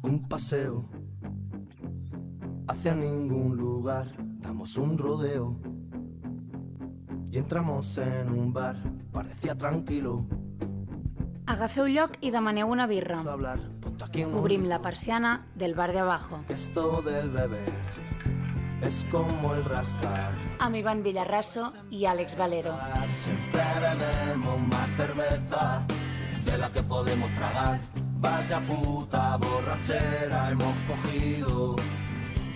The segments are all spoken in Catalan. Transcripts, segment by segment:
Un paseo hacia ningún lugar, damos un rodeo y entramos en un bar, parecía tranquilo. Agafeu lloc i demaneu una birra. Hablar, ponte aquí unos Obrim la litros, persiana del bar de abajo. que esto del beber es como el rascar. Amb Ivan Villarraso i Àlex Valero. Siempre bebemos más cerveza de la que podemos tragar. Vaya puta borrachera hemos cogido.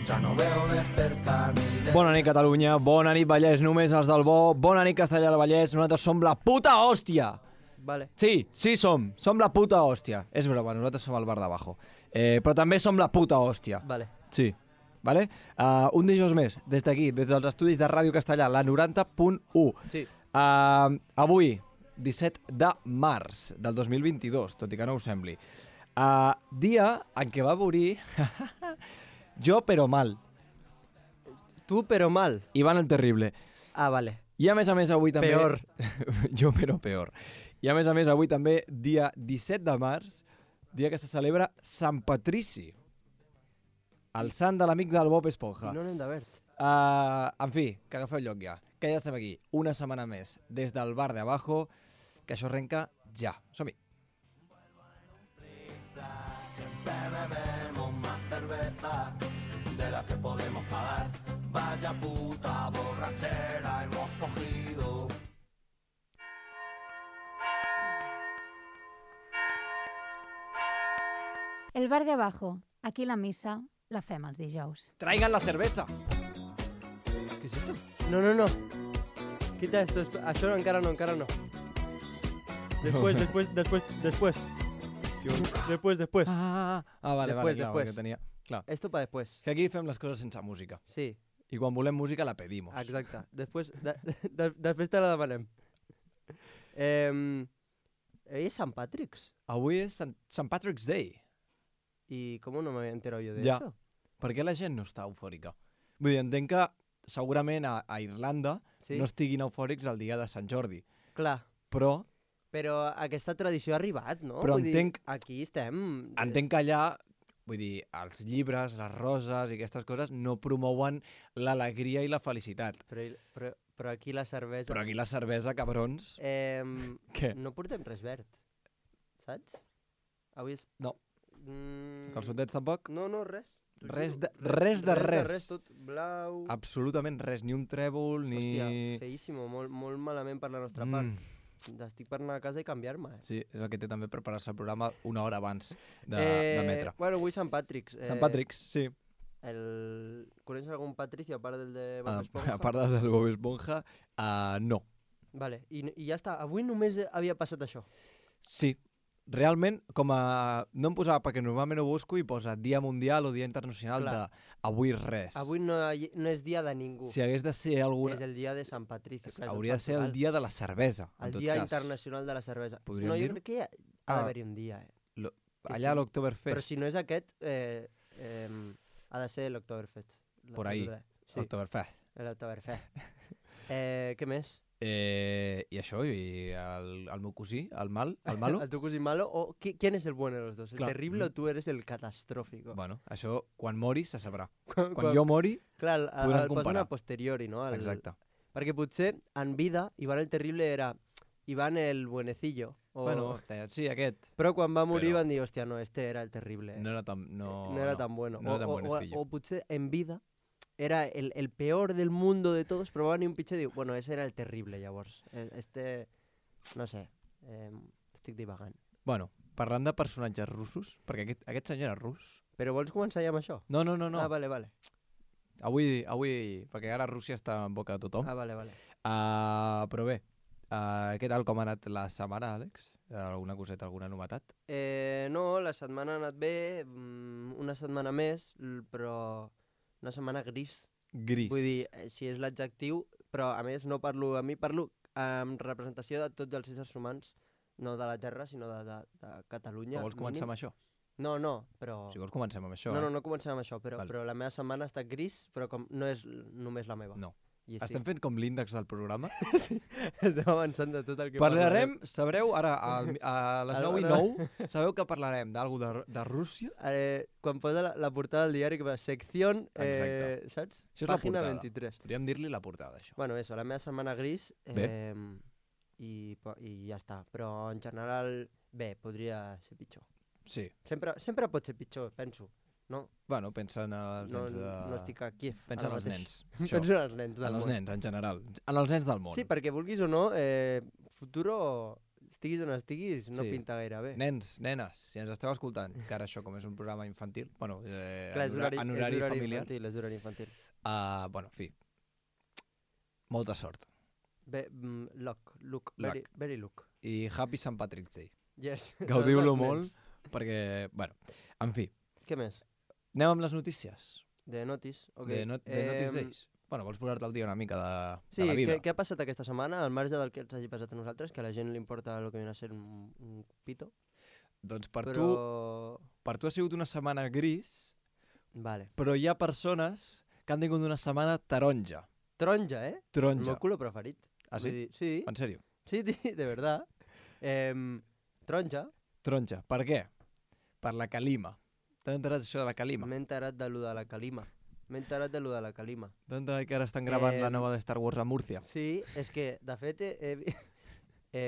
Ya no veo de cerca ni de... Bona nit, Catalunya. Bona nit, Vallès. Només els del bo. Bona nit, Castellà del Vallès. Nosaltres som la puta hòstia. Vale. Sí, som. Som la puta hòstia. És broma, nosaltres som el bar d'abajo. Però també som la puta hòstia. Vale. Sí. Vale? Un dijous més, des d'aquí, des dels estudis de Ràdio Castellà, la 90.1. Sí. Avui, 17 de març del 2022, tot i que no us sembli. Dia en què va morir jo però mal. Tu però mal. Ivan el Terrible. Ah, vale. I a més avui també... Peor. Jo però peor. I a més avui també, dia 17 de març, dia que se celebra Sant Patrici, el sant de l'amic del Bob Esponja. I no n'hem de verd. En fi, que agafeu lloc ja. Que ja estem aquí, una setmana més, des del bar de abajo, que això arrenca ja. Som-hi. Siempre bebemos más cerveza de la que podemos pagar. Vaya puta borrachera hemos cogido. El bar de abajo. Aquí la missa la fem els dijous. Traigan la cerveza. ¿Qué es esto? No. Quita esto. Això no, encara no. Después. Después. Vale, Después. Claro, que tenia... Clar. Esto para después. Que aquí fem les coses sense música. Sí, I quan volem música la pedimos. exacte. Després te la demanem. Avui és Sant Patrick's. Avui és Sant Patrick's Day. ¿Y cómo no me había enterado yo de Ja. eso? Per què la gent no està eufòrica? Vull dir, entenc que segurament a Irlanda Sí. no estiguin eufòrics el dia de Sant Jordi, Clar, però però aquesta tradició ha arribat, no? Però Vull dir, entenc- aquí estem... entenc que allà, vull dir, els llibres, les roses i aquestes coses no promouen l'alegria i la felicitat. Però aquí la cervesa... Però aquí la cervesa, cabrons... Què? No portem res verd, saps? Avui és... No. Mm... Calçotets tampoc? No, res. T'ho Res juro. de res. Res, tot blau... Absolutament res, ni un trèvol, ni... Hòstia, feíssimo, molt malament per la nostra part. Estic per anar a casa i canviar-me. Sí, és el que té també preparar-se el programa una hora abans d'emetre. Bueno, avui Sant Patrick's. Sant Patrick's, sí. Coneixes algun Patricio a part del de Bob Esponja? A part del Bob Esponja, no. Vale, i ja està. Avui només havia passat això. Sí, realment, com a... No em posava, perquè normalment ho busco i posa Dia Mundial o Dia Internacional Clar. de Avui res. Avui no és dia de ningú. Si hagués de ser alguna... És el dia de Sant Patricio. Clar, és Hauria de ser el dia de la cervesa, en El tot dia cas. internacional de la cervesa. Podríem No, jo dir-ho? crec que ha d'haver-hi un dia, Lo... que Allà sí. a l'Octoberfest. Però si no és aquest, ha de ser l'Octoberfest. Por ahí. Sí, Oktoberfest. l'Octoberfest. Què més? I això, i el meu cosí, el malo. ¿El tu cosí malo? ¿O quién es el bueno de los dos? ¿El Claro. terrible o tú eres el catastrófico? Bueno, això, quan mori, se sabrà. Quan Jo mori, Clar, podrem el posen comparar. a posteriori, no? exacte. Perquè potser en vida Iván el terrible era Iván el buenecillo. Bueno, sí, aquest. Però quan va morir però- van dir, hòstia, no, este era el terrible. No era tan... No era tan bueno. No era tan buenecillo. O potser en vida era el peor del mundo de todos, però va venir un pitjor i diu, bueno, ese era el terrible, llavors. Este, no sé, estic divagant. Bueno, parlant de personatges russos, perquè aquest senyor era rus. Però vols començar ja amb això? No. Ah, vale. Avui, perquè ara Rússia està en boca de tothom. Ah, vale. Però bé, què tal, com ha anat la setmana, Àlex? Alguna coseta, alguna novetat? No, la setmana ha anat bé, una setmana més, però una setmana gris. Gris. Vull dir, si és l'adjectiu, però a més no parlo a mi, parlo en representació de tots els éssers humans, no de la Terra, sinó de Catalunya. Que vols començar amb això? No, però... Si vols comencem amb això, No comencem amb això, però Vale. però la meva setmana ha estat gris, però com no és només la meva. No. I Estem fent com l'índex del programa. Estem avançant de tot el que Parlarem, sabreu, ara a les Ara- 9:09, sabeu que parlarem d'algú de Rússia? Quan posa la portada del diari que va secció, Exacte. saps? Això és la Pàgina portada. 23. Podríem dir-li la portada, això. Bueno, eso, la meva setmana gris Bé. i ja està. Però en general, bé, podria ser pitjor. Sí. Sempre pot ser pitjor, penso. No, Bueno, pensa en els no, nens de... no estic a Kiev. Pensa en ara els mateix. nens. Això. Penso en els nens del En els món. nens, en general. En els nens del món. Sí, perquè vulguis o no, futuro, estiguis on estiguis, no Sí. pinta gaire bé. Nens, nenes, si ens esteu escoltant, que ara això com és un programa infantil, bueno, Clar, és en horari familiar, infantil, és horari infantil. bueno, en fi, molta sort. Bé, luck, Luck. very luck. I Happy St. Patrick's Day. Yes. Gaudiu-lo Dels molt, nens. perquè, bueno, en fi, Què més? anem amb les notícies De Notis? Ok. de Notice Days. Bueno, vols posar-te al dia una mica Sí, de la vida? què ha passat aquesta setmana, al marge del que ens hagi passat a nosaltres, que a la gent li importa el que viene a ser un pito, Doncs per tu ha sigut una setmana gris, Vale. però hi ha persones que han tingut una setmana taronja. Taronja, El Taronja. meu color preferit. Ah, Vull sí? dir, sí, En sèrio? sí, de verdad. Taronja, Taronja. Per què? Per la calima. T'has enterat això de la calima? m'he enterat de lo de la calima. T'has enterat que ara estan gravant la nova de Star Wars a Múrcia? Sí, és que, de fet,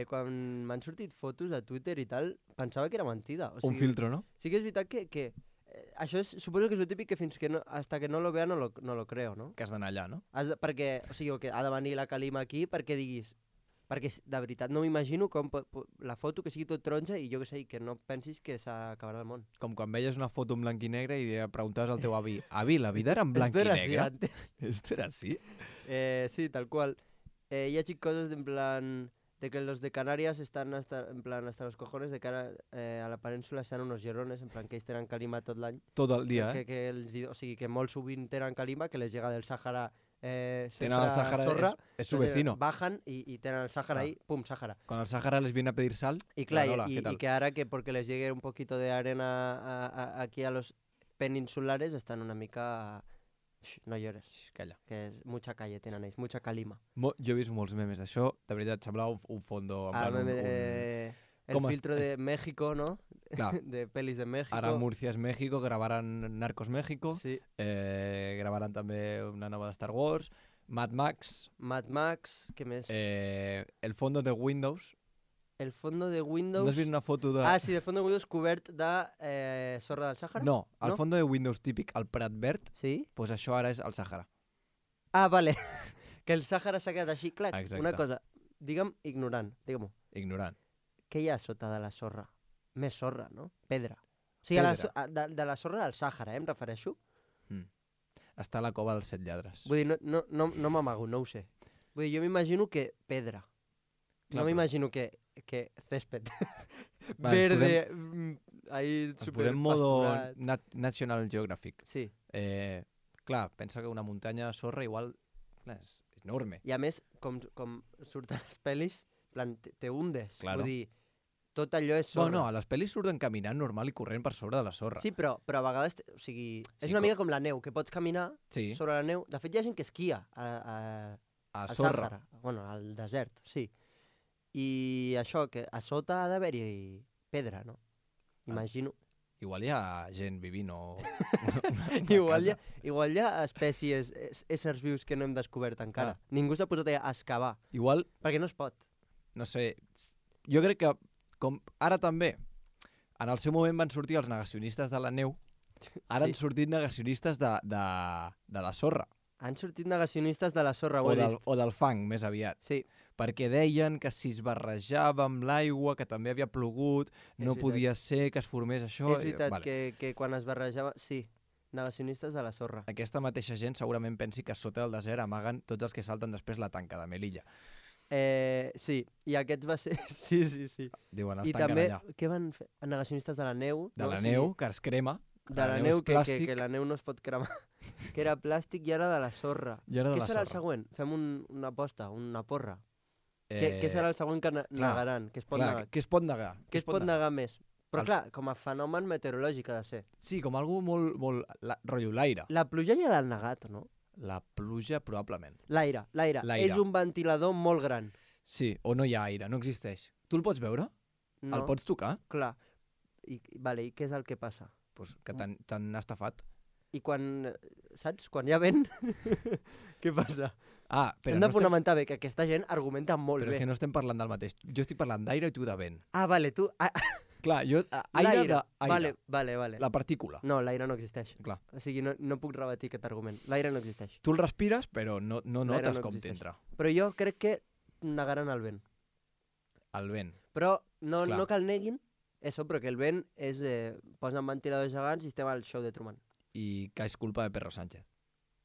quan m'han sortit fotos a Twitter i tal, pensava que era mentida. O Un sigui, filtro, no? Sí que és veritat que això suposo que és el típic que fins que no, hasta que no lo vea no lo creo, no? Que has d'anar allà, no? Perquè, o sigui, que ha de venir la Calima aquí perquè diguis... Perquè, de veritat, no m'imagino com la foto que sigui tot taronja i jo que sé, i que no pensis que s'acabarà el món. Com quan veies una foto en blanc i negre i preguntaves al teu avi, avi, la vida era en blanc Esto i era así negre? antes. Esto era así? Sí, tal cual. Y ha cosas de en plan de que los de Canarias están hasta los cojones de cara a la península sean unos llorones, en plan que ells tenen calima tot l'any. Tot el dia, eh? O sigui, que molt sovint tenen calima, que les llega del Sàhara Tenen el Sàhara, sorra. és su vecino. Bajan y tenen el Sàhara ahí, pum, Sàhara. Con el Sàhara les viene a pedir sal. Y claro, Hola, ¿qué tal? y que ahora que porque les llegue un poquito de arena aquí a los peninsulares están una mica... no llores, Xx, calla. que és mucha calle tenen ells, mucha calima. Jo he vist molts memes d'això, de veritat, semblava un fondo... En plan, El ¿Cómo filtro de México, ¿no? Clar, De pelis de México. ara Múrcia és México, gravaran Narcos México, Sí. gravaran també una nova de Star Wars, Mad Max, Mad Max, què més? el fondo de Windows. El fondo de Windows... No has vist una foto de... Ah, sí, el fondo de Windows cobert de sorra del Sàhara? No, el No? fondo de Windows típic, el Prat Verd, Sí? pues això ara és el Sàhara. Ah, vale. Que el Sàhara s'ha quedat així, clar. Exacte. Una cosa, digue'm ignorant, digue-m'ho. Ignorant. Què hi ha sota de la sorra? Més sorra, no? Pedra. O sigui, Pedra. de la sorra del Sàhara, em refereixo? Està a la cova dels 7 lladres. Vull dir, no m'amago, no ho sé. Vull dir, jo m'imagino que pedra. Clar, No però- m'imagino que césped. Va, Verde, ahí Es super posem modo pasturat. National Geographic. Sí, Clar, pensa que una muntanya de sorra igual clar, és enorme. i a més, com surten les pel·lis, en plan, te hundes. Claro. Vull dir, tot allò és sorra. Bueno, a les pel·lis surten caminant normal i corrent per sobre de la sorra. Sí, però a vegades, o sigui, és Sí, una mica com la neu, que pots caminar Sí, sobre la neu. De fet, hi ha gent que esquia al a sorra. Sàhara, bueno, al desert, sí. I això, que a sota ha d'haver-hi pedra, no? Imagino. Igual hi ha gent vivint o... Igual hi ha espècies, éssers vius que no hem descobert encara. Ningú s'ha posat a excavar, Igual, perquè no es pot. no sé, jo crec que com ara també, en el seu moment van sortir els negacionistes de la neu, ara Sí. han sortit negacionistes de la sorra, Han sortit negacionistes de la sorra, ho o he del, vist. o del fang, més aviat. Sí, Perquè deien que si es barrejava amb l'aigua, que també havia plogut, no veritat. podia ser que es formés això. és veritat Vale. que quan es barrejava... Sí, negacionistes de la sorra. Aquesta mateixa gent segurament pensi que sota del desert amaguen tots els que salten després la tanca de Melilla. Sí, i aquest va ser... Sí. Diuen, els I tanquen també, allà. què van fer? Negacionistes de la neu. De no? la O sigui, neu, que es crema. De la neu, és que plàstic, la neu no es pot cremar. Que era plàstic i ara de la sorra. i ara de Què la serà el sorra. següent? Fem una aposta, una porra. Què serà el següent que negaran? Què es pot negar? Què es pot negar? Què es pot negar més? Però Els- clar, com a fenomen meteorològic ha de ser. Sí, com algú molt rotllo l'aire. La pluja ja l'han negat, no? La pluja, probablement. L'aire. L'aire. És un ventilador molt gran. Sí, o no hi ha aire, no existeix. Tu el pots veure? No? El pots tocar? Clar. I què és el que passa? Pues que t'han estafat. I quan, saps? Quan hi ha vent, què passa? Ah, però Hem de fonamentar bé que aquesta gent argumenta molt però bé. és que no estem parlant del mateix. Jo estic parlant d'aire i tu de vent. Ah, vale, tu... Clar, jo... Aire L'aire. d'aire. Vale. La partícula. No, l'aire no existeix. Clar. O sigui, no puc rebatir aquest argument. L'aire no existeix. Tu el respires, però no L'aire notes no com existeix. t'entra. Però jo crec que negaran el vent. El vent. Però no Clar. que el neguin, això, però que el vent és... posen ventiladors gegants i estem al show de Truman. I que és culpa de Pedro Sánchez.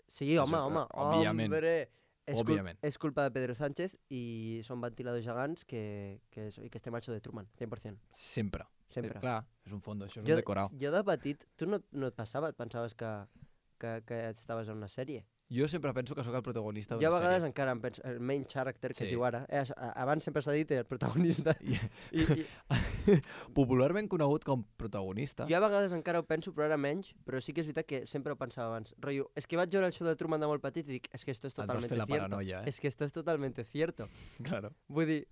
Sí, home. òbviament. Hombre. Òbviament. És culpa de Pedro Sánchez i són ventiladors gegants que estem al show de Truman, 100%. Sempre. Sempre. Clar, és un fondo, això és un decorau. Jo de petit, tu no et passava? Et pensaves que estaves en una sèrie? Jo sempre penso que sóc el protagonista Jo d'una a vegades sèrie. encara em penso, el main character que Sí. es diu ara, abans sempre s'ha dit el protagonista. I Popularment conegut com protagonista. jo a vegades encara ho penso, però ara menys, però sí que és veritat que sempre ho pensava abans. Rotllo, és que vaig veure el show de Truman de molt petit i dic, és que esto es Et vas totalmente fer la cierto. paranoia, eh? És que esto es totalmente cierto. Claro. Vull dir,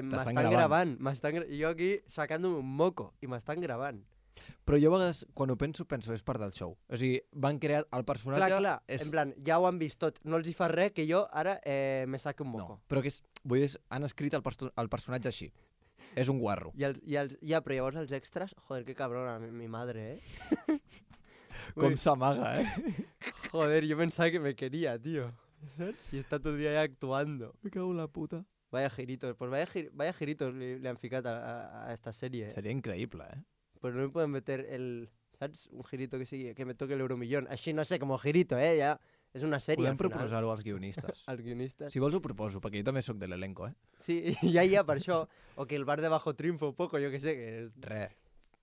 m'estan gravant. gravant. Jo aquí sacant-me un moco i m'estan gravant. Però jo a vegades, quan ho penso és part del show. O sigui, van crear el personatge... Clar, en plan, ja ho han vist tot. No els hi fa res que jo ara me saque un moco. No, però que és... Vull dir, han escrit el personatge així. És un guarro. Ja, però llavors els extras, joder, que cabrona, mi madre, Com s'amaga, eh? Joder, yo pensaba que me quería, tío. ¿Sabes? Y está todo el día ahí actuando. Me cago en la puta. Vaya giritos, pues vaya giritos le han ficado a esta serie. Seria increïble, eh? Pues no me pueden meter ¿sabes? Un girito que me toque el euromillón. Así no sé, como girito, ya. És una sèrie, Podem al final. proposar-ho als guionistes. Als guionistes. Si vols ho proposo, perquè jo també sóc de l'elenco, eh? Sí, ja, per això. O que el bar de bajo triunfa un poco, jo que sé. Que és Res,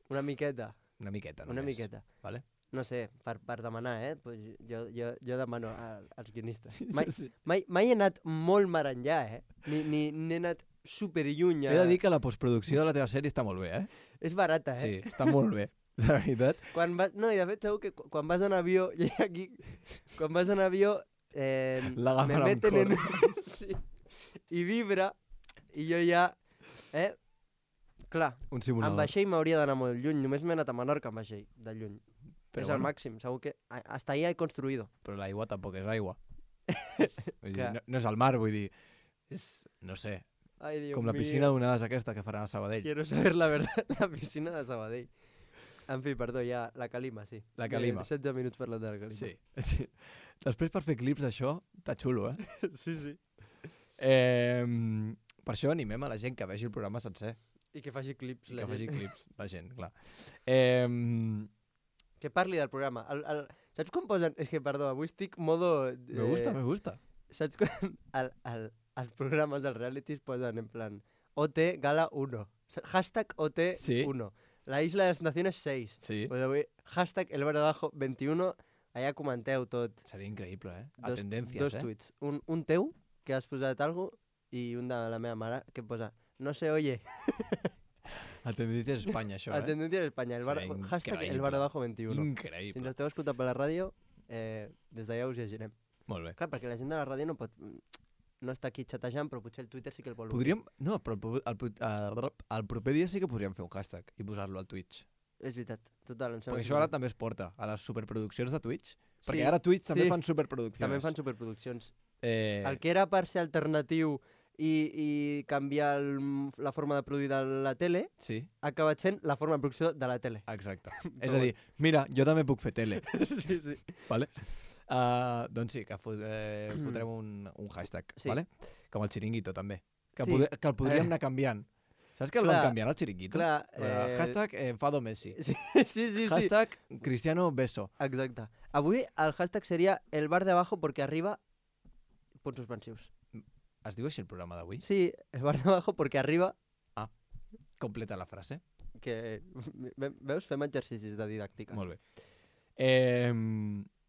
una miqueta. una miqueta només. Una miqueta. Vale? No sé, per demanar, pues jo demano als guionistes. Sí. Mai he anat molt mar enllà, ni he anat superlluny. He de dir que la postproducció de la teva sèrie està molt bé, eh? És barata, Sí, està molt bé, de veritat. No, i de fet segur que quan vas en avió, i aquí, quan vas en avió, L'agafen me amb meten en... cor. sí, i vibra, i jo ja... Clar, Un amb simulador. vaixell m'hauria d'anar molt lluny, només m'he anat a Menorca amb vaixell, de lluny. Però És el bueno. màxim, segur que... Hasta ahí he construido. Però l'aigua tampoc és aigua. Vull dir, Clar. no és el mar, vull dir... És, no sé, Ai, Dios com la piscina d'onades aquesta que faran a Sabadell. Quiero saber la verdad, la piscina de Sabadell. En fi, perdó, ja, la Calima, sí. La Calima. 16 minuts parlant de la Calima. Sí. Després per fer clips d'això, està xulo, eh? sí. Per això animem a la gent que vegi el programa sencer. I que faci clips. I la que faci gent. clips, la gent, clar. Que parli del programa. Saps quan posen... És que, perdó, avui estic modo... Me gusta. Saps quan als programes dels realities posen en plan OT Gala 1. Hashtag OT Sí. 1. La Isla de las Naciones 6. Sí. Pues avui, hashtag El Bar de Abajo 21. Allà comenteu tot. Seria increïble, eh? A Dos tendències, eh? tuits. Un teu, que has posat algo, i un de la meva mare, que posa no se oye. A tendències Espanya, això, A tendencia de España. Seria Hashtag El increïble. Bar de Abajo 21. Si Increïble. ens esteu escoltant per la ràdio, des d'allà us llegirem. Molt bé. Clar, perquè la gent de la ràdio no està aquí xatejant, però potser el Twitter sí que el vol obrir. Podríem... No, però el proper dia sí que podríem fer un hashtag i posar-lo al Twitch. És veritat, total. Em sembla Perquè això ara també es porta a les superproduccions de Twitch. Perquè Sí, ara Twitch també sí. fan superproduccions. També fan superproduccions. Eh, El que era per ser alternatiu i canviar la forma de produir de la tele, Sí, ha acabat sent la forma de producció de la tele. exacte. És a dir, mira, jo també puc fer tele. sí, sí. Vale? Doncs sí, que fotrem un hashtag, Sí. vale? Com el xiringuito, també. Que, Sí. que el podríem anar canviant. Saps que el Clar, van canviar, el xiringuito? clar, Hashtag enfado Messi. Sí, sí. Hashtag Cristiano Beso. Exacte. Avui el hashtag seria el bar de abajo porque arriba... Punts suspensius. Es diu així el programa d'avui? Sí, el bar de abajo porque arriba... Completa la frase. Que, veus? Fem exercicis de didàctica. Molt bé.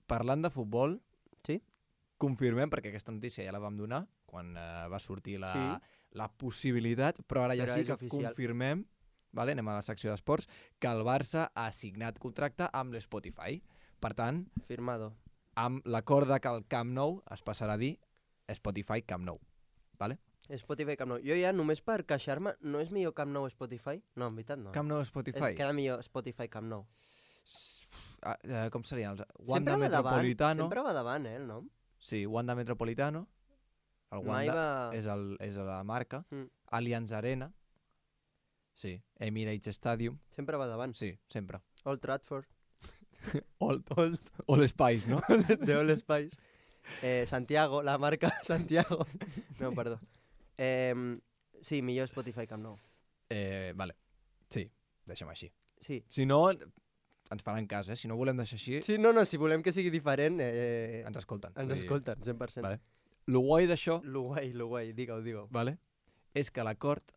Parlant de futbol, Sí? confirmem, perquè aquesta notícia ja la vam donar quan va sortir la, Sí. la possibilitat, però ara ja Però sí és que oficial. confirmem, vale, anem a la secció d'esports, que el Barça ha signat contracte amb l'Spotify. Per tant, Firmado. amb l'acord de que el Camp Nou es passarà a dir Spotify Camp Nou. Vale? Spotify Camp Nou. Jo ja, només per queixar-me, no és millor Camp Nou Spotify? No, en veritat no. Camp Nou Spotify. Queda millor Spotify Camp Nou. Com serien? Sempre Wanda va davant, Metropolitano. sempre va davant, el nom. Sí, Wanda Metropolitano. El Mai Wanda va... és la marca. Mm. Allianz Arena. Sí. Emirates Stadium. Sempre va davant. Sí, sempre. Old Trafford. All Spice, no? De All Spice. Santiago, la marca Santiago. No, perdó. Sí, millor Spotify Camp Nou. Vale. Sí, deixem així. Sí. Si no, ens faran cas, eh? Si no volem deixar així, Sí, no, si volem que sigui diferent, ens escolten. ens Vull dir, escolten, 100%. Vale. Lo guai d'això, Lo guai, digue-ho. vale, és que l'acord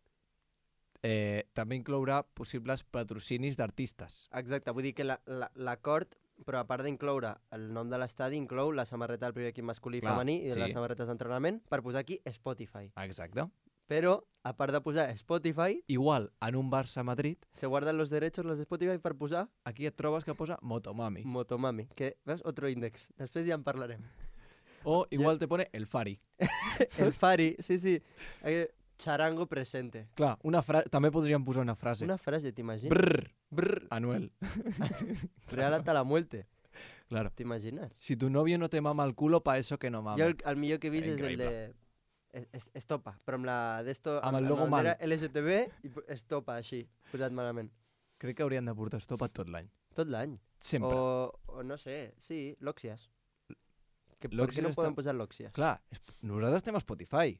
també inclourà possibles patrocinis d'artistes. Exacte, vull dir que l'acord, però a part d'incloure el nom de l'estadi, inclou la samarreta del primer equip masculí i Clar, femení i sí. les samarretes d'entrenament per posar aquí Spotify. Exacte. Però, a part de posar Spotify, Igual, en un Barça-Madrid, se guardan los derechos los de Spotify per posar aquí et trobes que posa Motomami. Motomami, que, veus, otro índex. Després ja en parlarem. O igual te pone El Fari. El Fari, sí. Charango presente. Clar, també podríem posar una frase. Una frase, t'imagines? Brrr, Brr. Anuel. Real hasta la muerte. Claro. T'imagines? Si tu novio no te mama el culo, pa eso que no mama. Jo el millor que he vist és el Increïble. de... Estopa, però amb la d'esto... Amb el logo mal. LGTB i estopa, així, posat malament. Crec que haurien de portar estopa tot l'any. Tot l'any. Sempre. O no sé, sí, l'Òxies. Per què L'Òxies no està- podem posar l'Òxies? Clar, nosaltres estem a Spotify.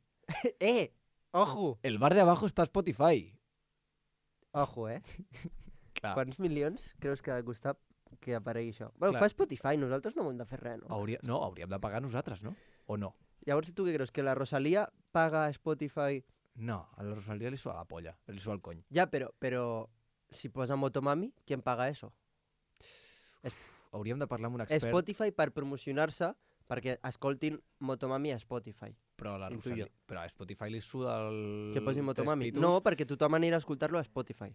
Ojo! El bar de abajo està a Spotify. Ojo, Clar. Quants milions creus que ha de costar que aparegui això? Bueno, Clar. fa Spotify, nosaltres no hem de fer res, no? Hauríem de pagar nosaltres, no? O no? Llavors, tu què creus? Que la Rosalía paga a Spotify? No, a la Rosalía li sua la polla, li sua el cony. Ja, però si posa Motomami, ¿quién paga eso? Hauríem de parlar amb un expert, Spotify per promocionar-se perquè escoltin Motomami a Spotify. però a la intuyo. Rosalía... Però a Spotify li suda el... Que posi Motomami. tres pitos. No, perquè tothom anirà a escoltar-lo a Spotify.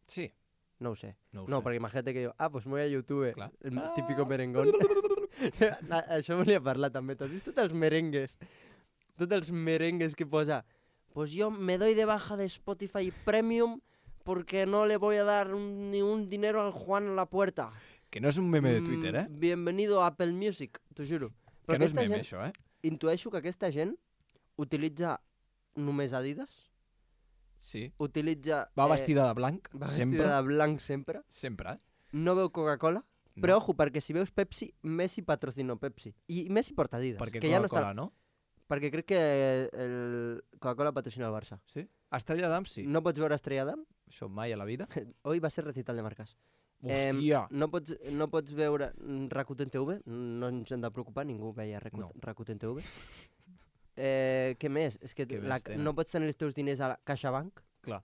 Sí, No ho sé. no ho No, sé. perquè imagínate que diu, pues me voy a YouTube, Clar. el típico merengón. Això volia parlar també. T'has vist tots els merengues? Tots els merengues que posa, pues yo me doy de baja de Spotify Premium porque no le voy a dar ni un dinero al Juan a la puerta. Que no és un meme de Twitter, eh? Bienvenido a Apple Music, t'ho juro. Que no és aquesta meme, gent, això, eh? intueixo que aquesta gent utilitza només Adidas, Sí. utilitza... Va vestida de blanc, va sempre. vestida de blanc sempre, Sempre, eh? no veu Coca-Cola, No. però ojo, perquè si veus Pepsi, Messi patrocinó Pepsi. I Messi porta Adidas. Perquè que ja no Coca-Cola, està... no? Perquè crec que el Coca-Cola patrocina el Barça. Sí? Estrella d'Am, sí. No pots veure Estrella Damm? Això mai a la vida. Hoy va ser recital de marques. Hòstia! No pots veure Rakuten TV, no ens hem de preocupar, ningú veia No. Rakuten TV. Què més? És que Què més tenen? no pots tenir els teus diners a la CaixaBank, Clar.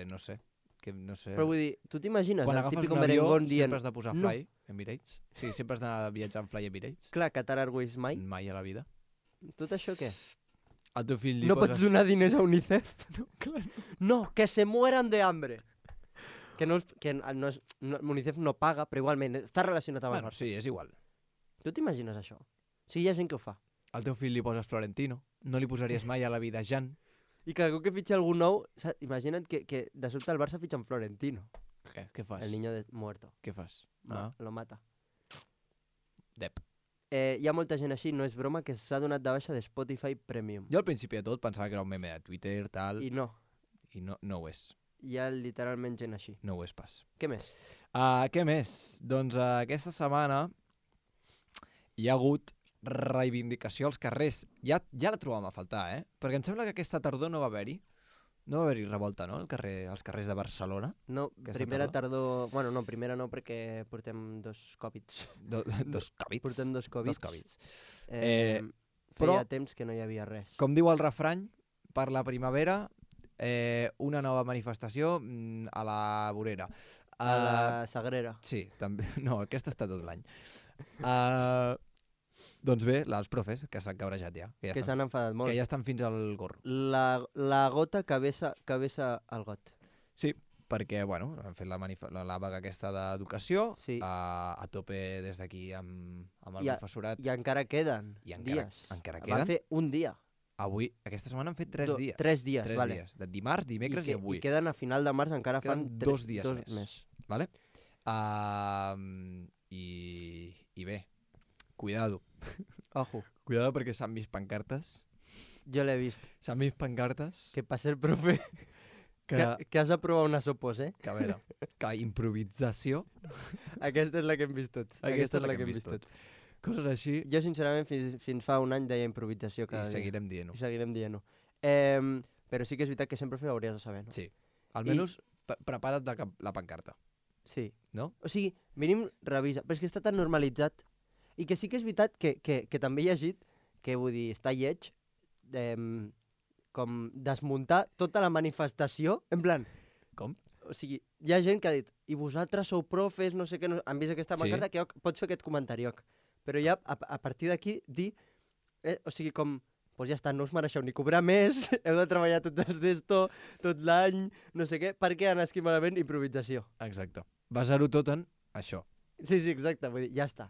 No sé. Que no sé. però vull dir, tu t'imagines Quan el agafes típico un avió, merengón dient, sempre has de posar no. Fly Emirates. Sí, sempre has de viatjar en Fly Emirates. clar, Qatar Airways mai, Mai a la vida. tot això què? Al teu fill li No poses... pots donar diners a UNICEF? No, clar. No, que se mueran de hambre. Que UNICEF no paga, però igualment està relacionat amb el Bueno, Barça. sí, és igual. Tu t'imagines això? Sí, hi ha gent que ho fa. Al teu fill li poses Florentino. No li posaries mai a la vida Jan. I cada cop que fitxa algú nou, imagina't que de sobte el Barça fitxa en Florentino, Què fas? el niño muerto. Què fas? Lo mata. Dep. Hi ha molta gent així, no és broma, que s'ha donat de baixa de Spotify Premium. Jo al principi de tot pensava que era un meme de Twitter, tal, I no, i no ho és. hi ha literalment gent així. No ho és pas. Què més? Què més? Doncs aquesta setmana hi ha hagut reivindicació als carrers. Ja la trobàvem a faltar, eh? Perquè em sembla que aquesta tardor no va haver-hi. No va haver-hi revolta, no? Als carrers de Barcelona. No, Aquesta primera tardor... Bueno, no, primera no, perquè portem dos Covids. Dos Covids. Portem dos Covids. Dos Covids. Feia però- temps que no hi havia res. Com diu el refrany, per la primavera, una nova manifestació a la vorera. A la Sagrera. Sí, també. No, aquesta està tot l'any. Doncs bé, els profes, que s'han cabrejat ja. Que Que estan, s'han enfadat molt. que ja estan fins al gorro. La gota cabeza al got. Sí, perquè, bueno, han fet la vaga aquesta d'educació, Sí. a tope des d'aquí amb el I professorat. I encara queden I encara- dies. encara Van queden? fer un dia. Avui, aquesta setmana han fet 3 dies. 3 dies, 3 vale. dies. De dimarts, dimecres i avui. I queden a final de març, encara Queden fan 2 dies més. Vale? I bé, cuidado. Ojo, Cuidado perquè s'han vist pancartes. jo l'he vist. S'han vist pancartes Que passa el profe que has de provar una sopos, eh? que a veure, que improvisació, Aquesta és la que hem vist tots. Aquesta és la que hem vist tots. Coses així, Jo, sincerament, fins fa un any deia improvisació cada i dia. seguirem dient-ho. I seguirem dient-ho. Però sí que és veritat que sempre ho hauries de saber, no? Sí. Almenys prepara't la pancarta, Sí. no? O sigui, mínim revisa. Però és que està tan normalitzat. I que sí que és veritat que també he llegit, que vull dir, està lleig, com desmuntar tota la manifestació, en plan... Com? O sigui, hi ha gent que ha dit, i vosaltres sou profes, no sé què, no... han vist aquesta Sí. pancarta, que pots fer aquest comentari, Oc. Però ja, a partir d'aquí, dir... o sigui, com... Doncs ja està, no us mereixeu ni cobrar més, heu de treballar tots els d'esto, tot l'any, no sé què, perquè han escrit malament improvisació. Exacte. Basar-ho tot en això. Sí, exacte, vull dir, ja està.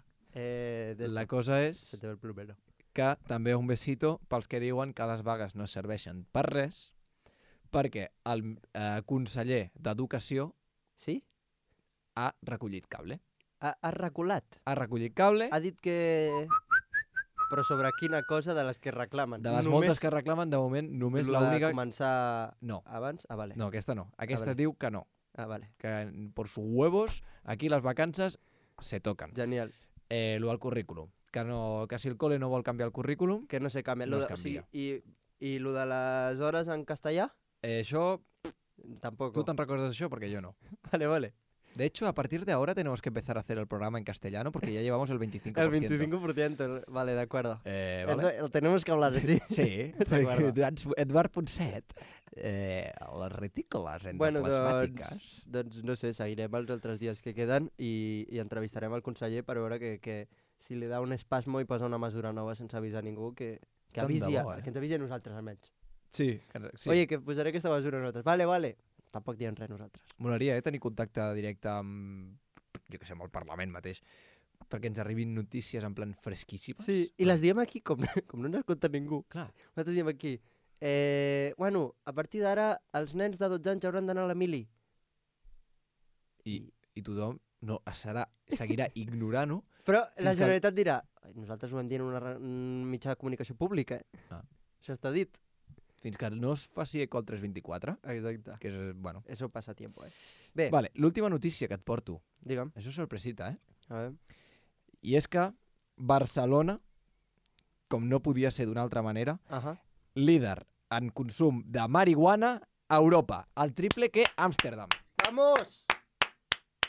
La cosa és Se te ve el plumero. que també un besito pels que diuen que les vagues no serveixen per res, perquè el conseller d'Educació Sí? ha recollit cable. Ha reculat. Ha recollit cable Ha dit que... Però sobre quina cosa de les que reclamen? de les moltes que reclamen, de moment només Lo de l'única... començar No, abans? Ah, vale. no, aquesta no. Aquesta vale. diu que no. Ah, vale. Que por sus huevos, aquí les vacances se toquen. Genial. Lo del currículum. Que si el cole no vol canviar el currículum, Que no se canvia. No es O sigui, canvia. I lo de les hores en castellà? això, Tampoco. tú te recuerdas de això, porque yo no. Vale, vale. De hecho, a partir de ahora tenemos que empezar a hacer el programa en castellano porque ya llevamos el 25%. El 25%. Vale, de acuerdo. ¿Vale? Lo tenemos que hablar así. Sí, D'acord. perquè Eduard Ponset, les retícules endoplasmàtiques... Doncs no sé, seguirem els altres dies que queden i entrevistarem el conseller per veure que si li da un espasmo i posa una mesura nova sense avisar ningú, que Tant de avisi, bo, que ens avisi a nosaltres almenys. Sí, sí. Oye, que posaré aquesta mesura a nosaltres. Vale. Tampoc diem res nosaltres. Molaria, tenir contacte directe amb, jo què sé, amb el Parlament mateix, perquè ens arribin notícies en plan fresquíssimes. Sí, i les diem aquí com no ens escolta ningú. Clar. Nosaltres diem aquí, bueno, a partir d'ara els nens de 12 anys hauran d'anar a la mili. I tothom seguirà ignorant-ho. Però la Fins que- Generalitat dirà, "Ai, nosaltres ho vam dir en un mitjà de comunicació pública, Ah. Això està dit. Fins que no es faci eco al 324, Exacte. que és, bueno... Eso passa tiempo, Bé, Vale, l'última notícia que et porto. digue'm. Això és sorpresita, A veure. I és que Barcelona, com no podia ser d'una altra manera, líder en consum de marihuana a Europa. El triple que Amsterdam. ¡Vamos!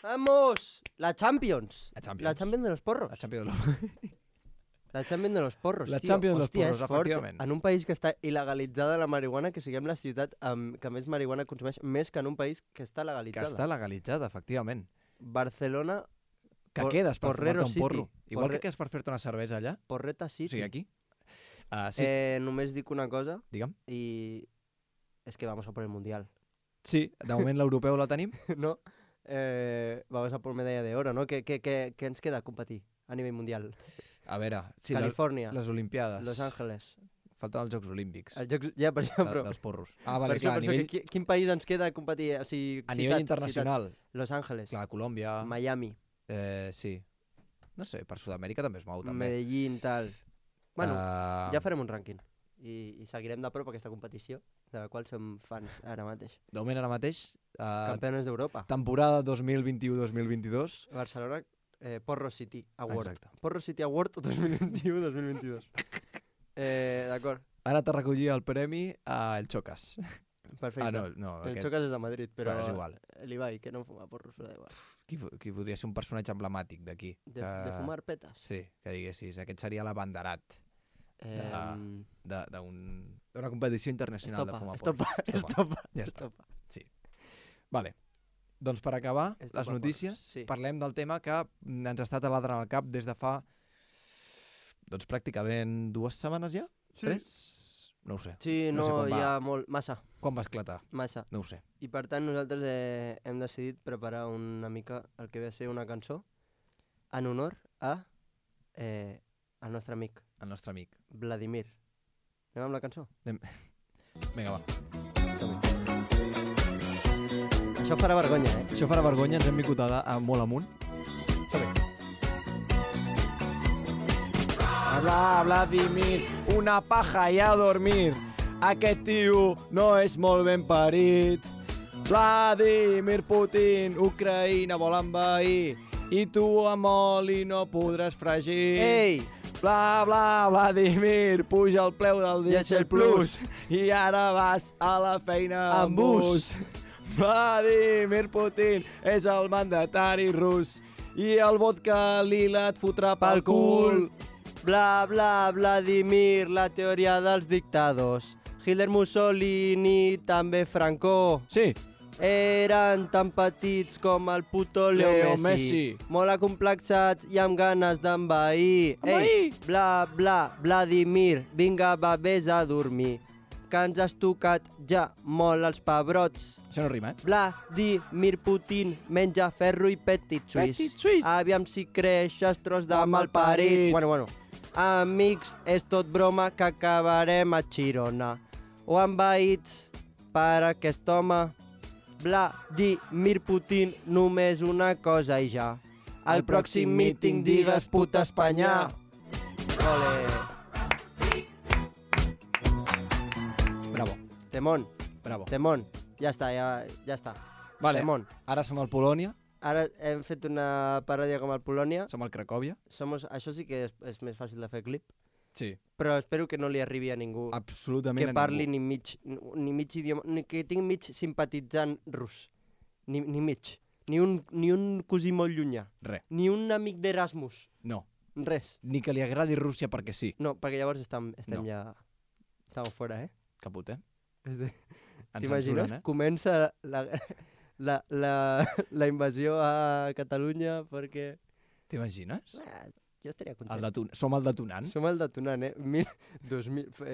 ¡Vamos! La Champions. La Champions. La Champions de los porros. La Champions de La Champions de los porros, La tio. Champions de los Hòstia, porros, és fort. efectivament. En un país que està il·legalitzada la marihuana, que siguem la ciutat que més marihuana consumeix, més que en un país que està que legalitzada. està legalitzada, efectivament. Barcelona, Que quedes per Porrero fumar-te un porro. City. Igual que quedes per fer-te una cervesa allà, Porreta o City. sigui, aquí. Sí, Només dic una cosa, digue'm. y es que vamos a por el Mundial. Sí, de moment l'europeu la tenim. ¿No? Vamos a por medalla de oro, ¿no? ¿Qué ens queda a competir a nivell mundial? A veure, sí, Califòrnia, les Olimpiades. Los Ángeles. Falten els Jocs Olímpics. Els Jocs... Ja, per això, però... Dels porros. Ah, vale, per clar, això, quin país ens queda a competir? O sigui, a nivell internacional. Ciutat. Los Ángeles, Clar, Colòmbia, Miami, sí. No sé, per Sud-amèrica també es mou, també. Medellín, tal... Bueno, Ah, ja farem un rànquing. I seguirem de prop aquesta competició, de la qual som fans ara mateix. De moment ara mateix, Campeones d'Europa. temporada 2021-2022. Barcelona, Porro City Award. Exacte. Porro City Award 2021-2022. D'acord, Ha anat a recollir el premi a El Chocas. perfecte. Ah, no, El aquest. Chocas és de Madrid, però Però és igual. l'Ibai, que no fuma porros, però da igual. Qui podria ser un personatge emblemàtic d'aquí? De fumar petes. Sí, que diguessis. Aquest seria l'abanderat Em, d'una competició internacional de fumar Estopa. Ja està. Vale. Doncs per acabar Estopa les notícies, porros, sí. parlem del tema que ens està taladrant al cap des de fa doncs pràcticament 2 setmanes ja? Sí. 3? No ho sé. Sí, No no, sé com hi va. ha molt... Massa, Quan va esclatar? massa. No ho sé. I per tant nosaltres hem decidit preparar una mica el que ve a ser una cançó en honor a el nostre amic, El nostre amic. Vladimir. Anem amb la cançó? Vinga, va. Som-hi. Això farà vergonya, Això farà vergonya, ens hem vingut molt amunt. Som-hi. Habla, Vladimir, una paja i a dormir. Aquest tio no és molt ben parit. Vladimir Putin, Ucraïna vol envair. I tu amb oli no podràs fregir. Ei! Bla, bla, Vladimir, puja el preu del Diesel Plus. I ara vas a la feina Amb bus. Vladimir Putin és el mandatari rus. I el vodka lila et fotrà pel cul. Bla, bla, Vladimir, la teoria dels dictadors. Hitler, Mussolini, també Franco. Sí, Eren tan petits com el puto Leo Messi. Molt acomplexats i amb ganes d'envair. Ei, bla, bla, Vladimir, vinga, va, vés a dormir. Que ens has tocat ja molt els pebrots. això no rima, Vladimir Putin menja ferro i petit suís. Petit suís. Aviam si creixes, tros de malparit. Bueno. Amics, és tot broma que acabarem a Girona. O envaïts per aquest home. Vladimir Putin, només una cosa i ja. Al pròxim míting digues puta Espanya. Ole. Bravo, Temón, bravo. temón. Ja està, ja està. Vale, Temón. ara som al Polònia, Ara hem fet una paròdia com el Polònia. som al Cracòvia. Això sí que és més fàcil de fer clip. Sí, Però espero que no li arribi a ningú absolutament que a parli ningú. ni mig idioma, ni que tingui mig simpatitzant rus. Ni mig. Ni un cosí molt llunyà. Res, Ni un amic d'Erasmus. no. Res. Ni que li agradi Rússia perquè sí. No, perquè llavors estem No. ja... Estem fora, Caput, eh? És de... Ens T'imagines? censuren, eh? Comença la invasió a Catalunya perquè... T'imagines? Jo estaria content. Som el detonant? Som el detonant,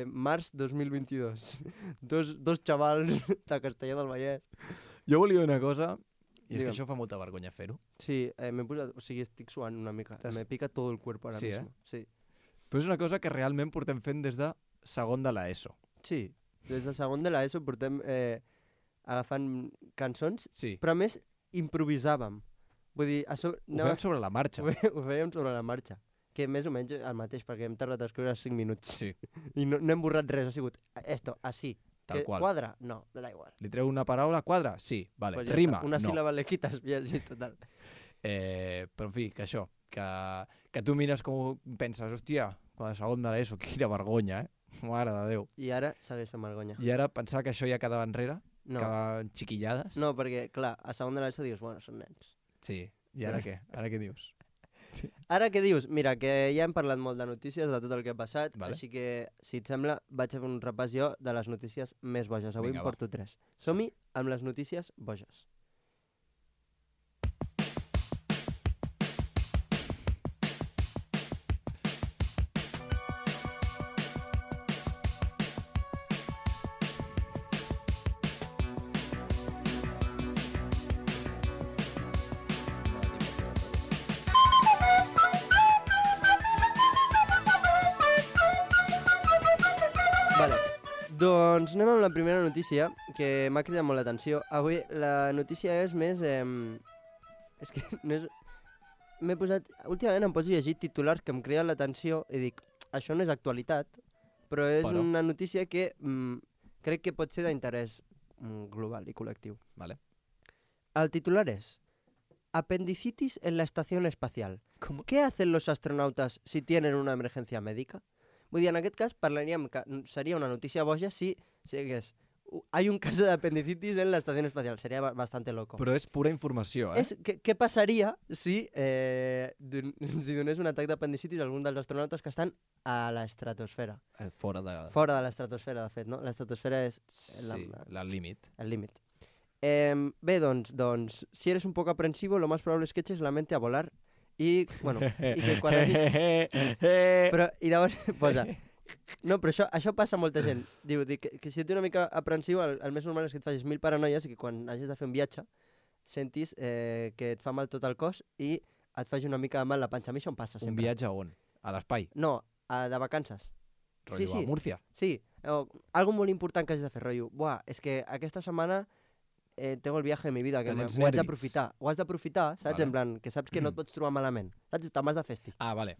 març 2022. Dos xavals de Castellà del Vallès. Jo volia dir una cosa, i és Digue'm. que això fa molta vergonya fer-ho, Sí, m'he posat... O sigui, estic suant una mica. Me pica todo el cuerpo ara Sí, mismo. Sí. però és una cosa que realment portem fent des de segon de l'ESO. Sí. Des de segon de l'ESO portem agafant cançons, Sí, però a més improvisàvem. Vull dir, ho fem sobre la marxa. ho fèiem sobre la marxa. Que més o menys el mateix, perquè hem tardat a escriure 5 minuts. Sí, I no hem borrat res, ha sigut esto, así. tal Que qual. quadra? No, me da igual. Li treu una paraula, quadra? Sí, vale. Pues ja Rima? està. Una No. síl·laba le quitas, i així, total. Però en fi, que això, que tu mires com penses, hòstia, quan a segon de l'ESO, quina vergonya, eh? Mare de Déu. I ara segueix fent vergonya. I ara pensar que això ja quedava enrere, No, quedaven xiquillades. no, perquè, clar, a segon de l'ESO dius, bueno, són nens. Sí, i ara què? Ara què dius? Ara què dius? Mira, que ja hem parlat molt de notícies, de tot el que ha passat, Vale. així que, si et sembla, vaig a fer un repàs jo de les notícies més boges. Avui Vinga, en va. porto 3. Som-hi amb les notícies boges. Vale. Doncs anem amb la primera notícia, que m'ha cridat molt l'atenció. Avui la notícia és més... és que no és... M'he posat... Últimament em poso a llegir titulars que em criden l'atenció i dic, això no és actualitat, però és Però. una notícia que crec que pot ser d'interès global i col·lectiu. Vale. El titular es Apendicitis en la estación espacial. ¿Cómo? ¿Qué hacen los astronautas si tienen una emergencia médica? Vull dir, en aquest cas parlaríem que seria una notícia boja si digués hay un caso de apendicitis en la estación espacial. Seria bastante loco. Però és pura informació, eh? Què passaria si si donés un atac d'apendicitis a algun dels astronautes que estan a l'estratosfera? Fora de... Fora de l'estratosfera, de fet, no? L'estratosfera és Sí, el límit. el límit. Bé, doncs, si eres un poco aprensivo, lo más probable es que eches la mente a volar y, bueno, y que quan hagis... Però, i llavors posa, No, però això passa a molta gent. Diu que si ets una mica aprensiu, el més normal és que et facis 1000 paranoies i que quan hagis de fer un viatge sentis que et fa mal tot el cos i et faci una mica de mal la panxa. A mi això em passa sempre. Un viatge a on? A l'espai? No, de vacances. Rotllo a Múrcia? Sí, algo molt important que hagis de fer, rotllo. Buah, és que aquesta setmana tengo el viaje de mi vida, que Que tens ho haig nervis. d'aprofitar. Ho has d'aprofitar, saps? Vale. En plan, que saps que no et pots trobar malament. Saps? Te'n vas de festi. Ah, vale.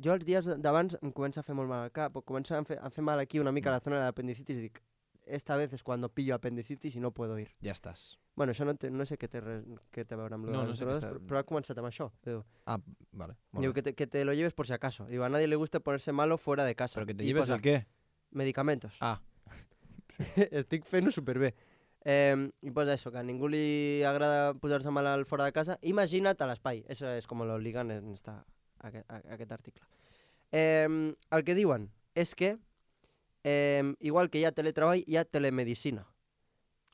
Jo els dies d'abans em comença a fer molt mal al cap, o comença a fer mal aquí una mica a la zona de l'apendicitis i dic, esta vez es cuando pillo apendicitis y no puedo ir. Ja estàs. Bueno, això no sé què té a veure amb No les sé drogues, què està- però ha començat amb això. Diu, Ah, vale. diu que te lo lleves por si acaso. Diu, a nadie le gusta ponerse malo fuera de casa. Però que te I lleves posa el què? medicamentos. Ah, Estic fent-ho superbé. I posa això, que a ningú li agrada posar-se malalt fora de casa. Imagina't a l'espai. Eso es como lo ligan en aquest article. El que diuen és que, igual que hi ha teletreball, hi ha telemedicina.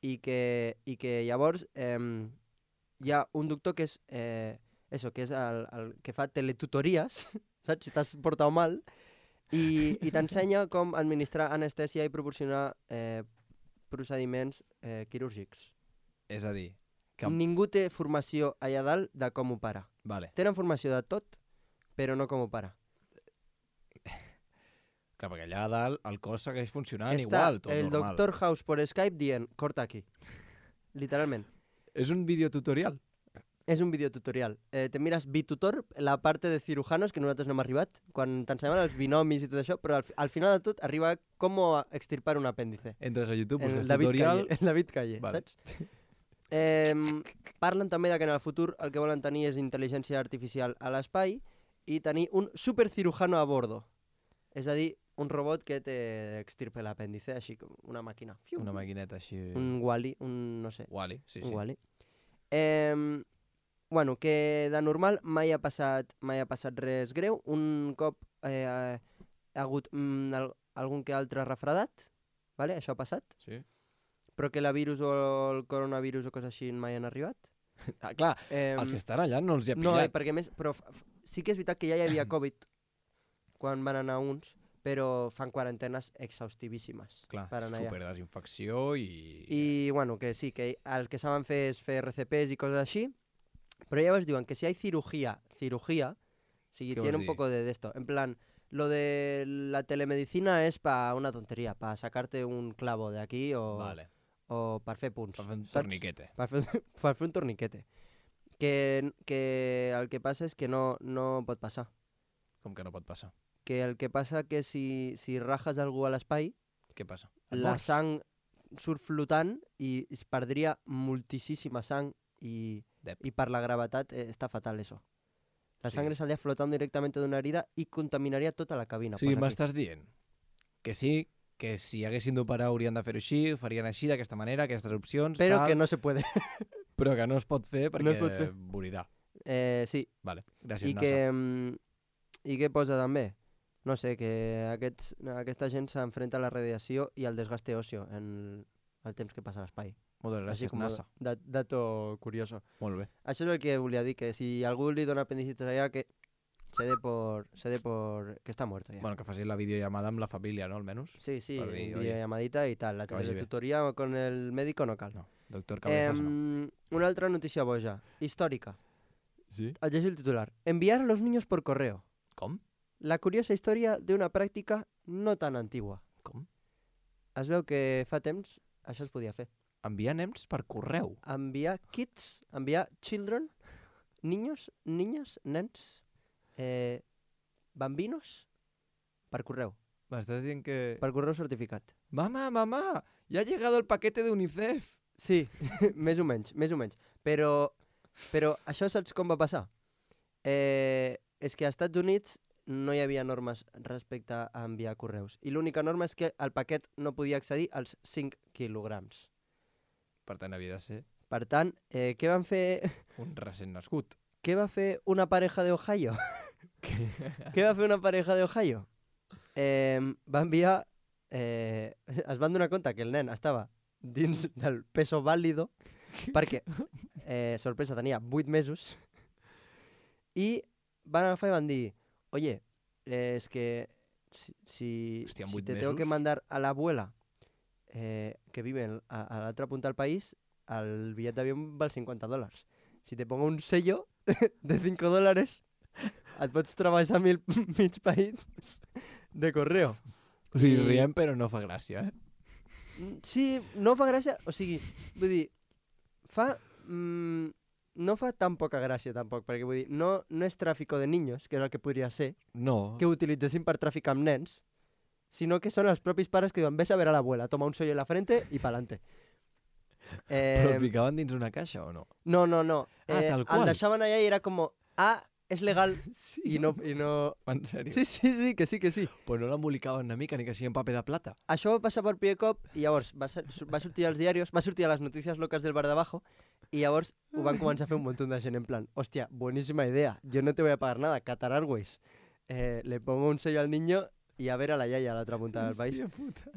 I que llavors hi ha un doctor que és, que és el que fa teletutories, saps? Si t'has portat mal, i t'ensenya com administrar anestèsia i proporcionar procediments quirúrgics. és a dir, que... Ningú té formació allà dalt de com operar. Vale. Tenen formació de tot, però no com operar. Clar, perquè allà a dalt el cos segueix funcionant Està igual, tot el normal. Doctor House por Skype dient, corta aquí. Literalment. És un videotutorial? És un videotutorial. Te mires Bitutor, la parte de cirujanos, que nosaltres no hem arribat, quan t'ensenyaven els binomis i tot això, però al final de tot arriba com extirpar un apèndice. Entres a YouTube, En busques David tutorial... Calle, en David Calle, Vale. saps? Parlen també de que en el futur el que volen tenir és intel·ligència artificial a l'espai i tenir un supercirujano a bordo. És a dir, un robot que t'extirpe l'apèndice, així com una màquina. Fiu. Una maquineta així... Un Wall-E, no sé. Wall-E, sí, Un sí. Wall-E. Bueno, que de normal mai ha passat res greu. Un cop ha hagut algun que altre refredat, vale? Això ha passat, Sí. però que la virus o el coronavirus o coses així mai han arribat. Ah, clar, els que estan allà no els hi ha No, pillat. perquè més, però sí que és veritat que ja hi havia Covid quan van anar uns, però fan quarantenes exhaustivíssimes Clar, per anar allà. superdesinfecció i... I, bueno, que sí, que el que saben fer és fer RCPs i coses així, pero ya os digo que si hay cirugía, sí, ¿Qué tiene os un di? poco de esto. En plan, lo de la telemedicina es para una tontería, para sacarte un clavo de aquí o para fer punts. Per fer un saps? torniquete. Per fer un torniquete. Que el que passa és que no pot passar. Com que no pot passar? Que el que passa que si rajas algú a l'espai, Què passa? Et la mors? sang surt flotant i es perdria moltíssima sang i per la gravetat està fatal eso. La Sí. sangre saldría flotando directamente de una herida y contaminaría tota la cabina. O sigui, Pues aquí. m'estàs dient que sí, que si haguessin d'operar haurien de fer-ho així, ho farien així, d'aquesta manera, aquestes opcions, Pero tal, que no se puede. però que no es pot fer perquè No es pot fer. morirà. Sí. Vale, gràcies, I NASA. què posa també? No sé, que aquesta gent s'enfrenta a la radiació i al desgaste óseo en el temps que passa a l'espai. Moltes Així gràcies, com NASA. dato curioso. Molt bé. Això és el que volia dir, que si algú li dona apendicitis allà, que se dé por que está muerto ya. Bueno, que facis la videollamada amb la família, no, almenys? Sí, per dir, oye, videollamadita y tal. La que vagi bé. tutoría con el médico no cal. No, doctor Cabezas no. Una altra notícia boja, històrica. Sí? El llegeixo el titular. Enviar a los niños por correo. Com? La curiosa història d'una pràctica no tan antigua. Com? Es veu que fa temps això es podia fer. Enviar nens per correu. Enviar kids, enviar children, niños, niñas, nens, bambinos, per correu. M'estàs dient que... Per correu certificat. Mamá, ya ha llegado el paquete de UNICEF. Sí, més o menys. Però això saps com va passar? És que als Estats Units no hi havia normes respecte a enviar correus. I l'única norma és que el paquet no podia accedir als 5 quilograms. Per tant, havia de ser Per tant, què van fer? un recent nascut. Què va fer una pareja d'Ohio? Què va fer una pareja d'Ohio? Va enviar... es van donar compte que el nen estava dins del peso vàlido perquè, sorpresa, tenia 8 mesos i van agafar i van dir oye, és que si Hòstia, en si 8 te tengo que mesos? mandar a la abuela que vive a la otra punta del país, el billet d'avió val $50. Si te pongo un sello de $5, et pots treballar mig país de correo. O sigui, I- riem però no fa gràcia, eh? Sí, no fa gràcia, o sigui, vull dir, no fa tan poca gràcia tampoc, perquè vull dir, no és tràfico de niños, que és el que podria ser, No. que ho utilitzessin per traficar amb nens, sinó que són els propis pares que diuen, ves a ver a l'abuela, toma un sello en la frente i pa'lante. Però el ficaven dins una caixa o no? No. Ah, tal qual. El deixaven allà i era com, és legal, Sí. i no... En sèrio? Sí, que sí. Pues no l'embolicaven una mica ni que sigui en paper de plata. Això va passar per primer cop i llavors va sortir als diaris, va sortir a les notícies locals del bar de abajo i llavors ho van començar a fer un munt de gent en plan, hòstia, buenísima idea, yo no te voy a pagar nada, Qatar Airways. Le pongo un sello al niño y a ver a la iaia a l'altra punta del país. Hòstia puta.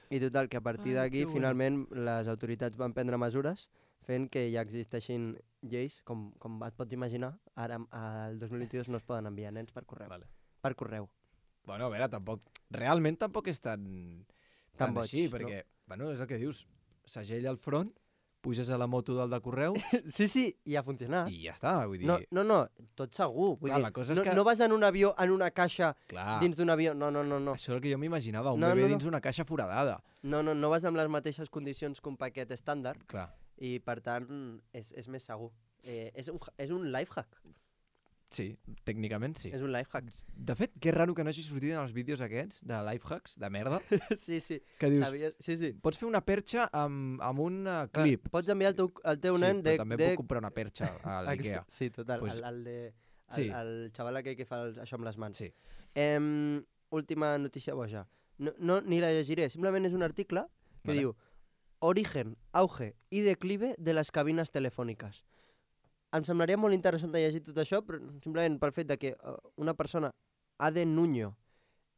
I total, que a partir Ai, d'aquí que bueno. finalment les autoritats van prendre mesures fent que ja existeixin lleis, com et pots imaginar, ara al 2022 no es poden enviar nens per correu. Vale. Per correu. Bueno, a veure, tampoc... Realment tampoc és tan Tan boig, així, no? perquè, bueno, és el que dius, segell al front, puges a la moto del de correu Sí, i a funcionar. i ja està, vull dir... No, tot segur. Vull Clar, dir, la cosa és no, que- no vas en un avió, en una caixa, Clar, dins d'un avió. No. això és el que jo m'imaginava, un No, bebè no. dins una caixa foradada. No vas amb les mateixes condicions que un paquet estàndard Clar. i, per tant, és més segur. És un lifehack. Sí, tècnicament sí. És un lifehack. De fet, que raro que no hagi sortit en els vídeos aquests de lifehacks, de merda, Sí. que dius, Sabies? Sí. pots fer una perxa amb un Clar, clip. Pots enviar el teu nen sí, però també puc comprar una perxa a Ex- l'Ikea. Sí, total. Pues- Sí. El xaval aquell que fa això amb les mans. Sí. Última notícia boja. No, ni la llegiré. Simplement és un article que Vale. diu Origen, auge i declive de les cabines telefòniques. Em semblaria molt interessant de llegir tot això, però simplement pel fet de que una persona, Ade Nuño,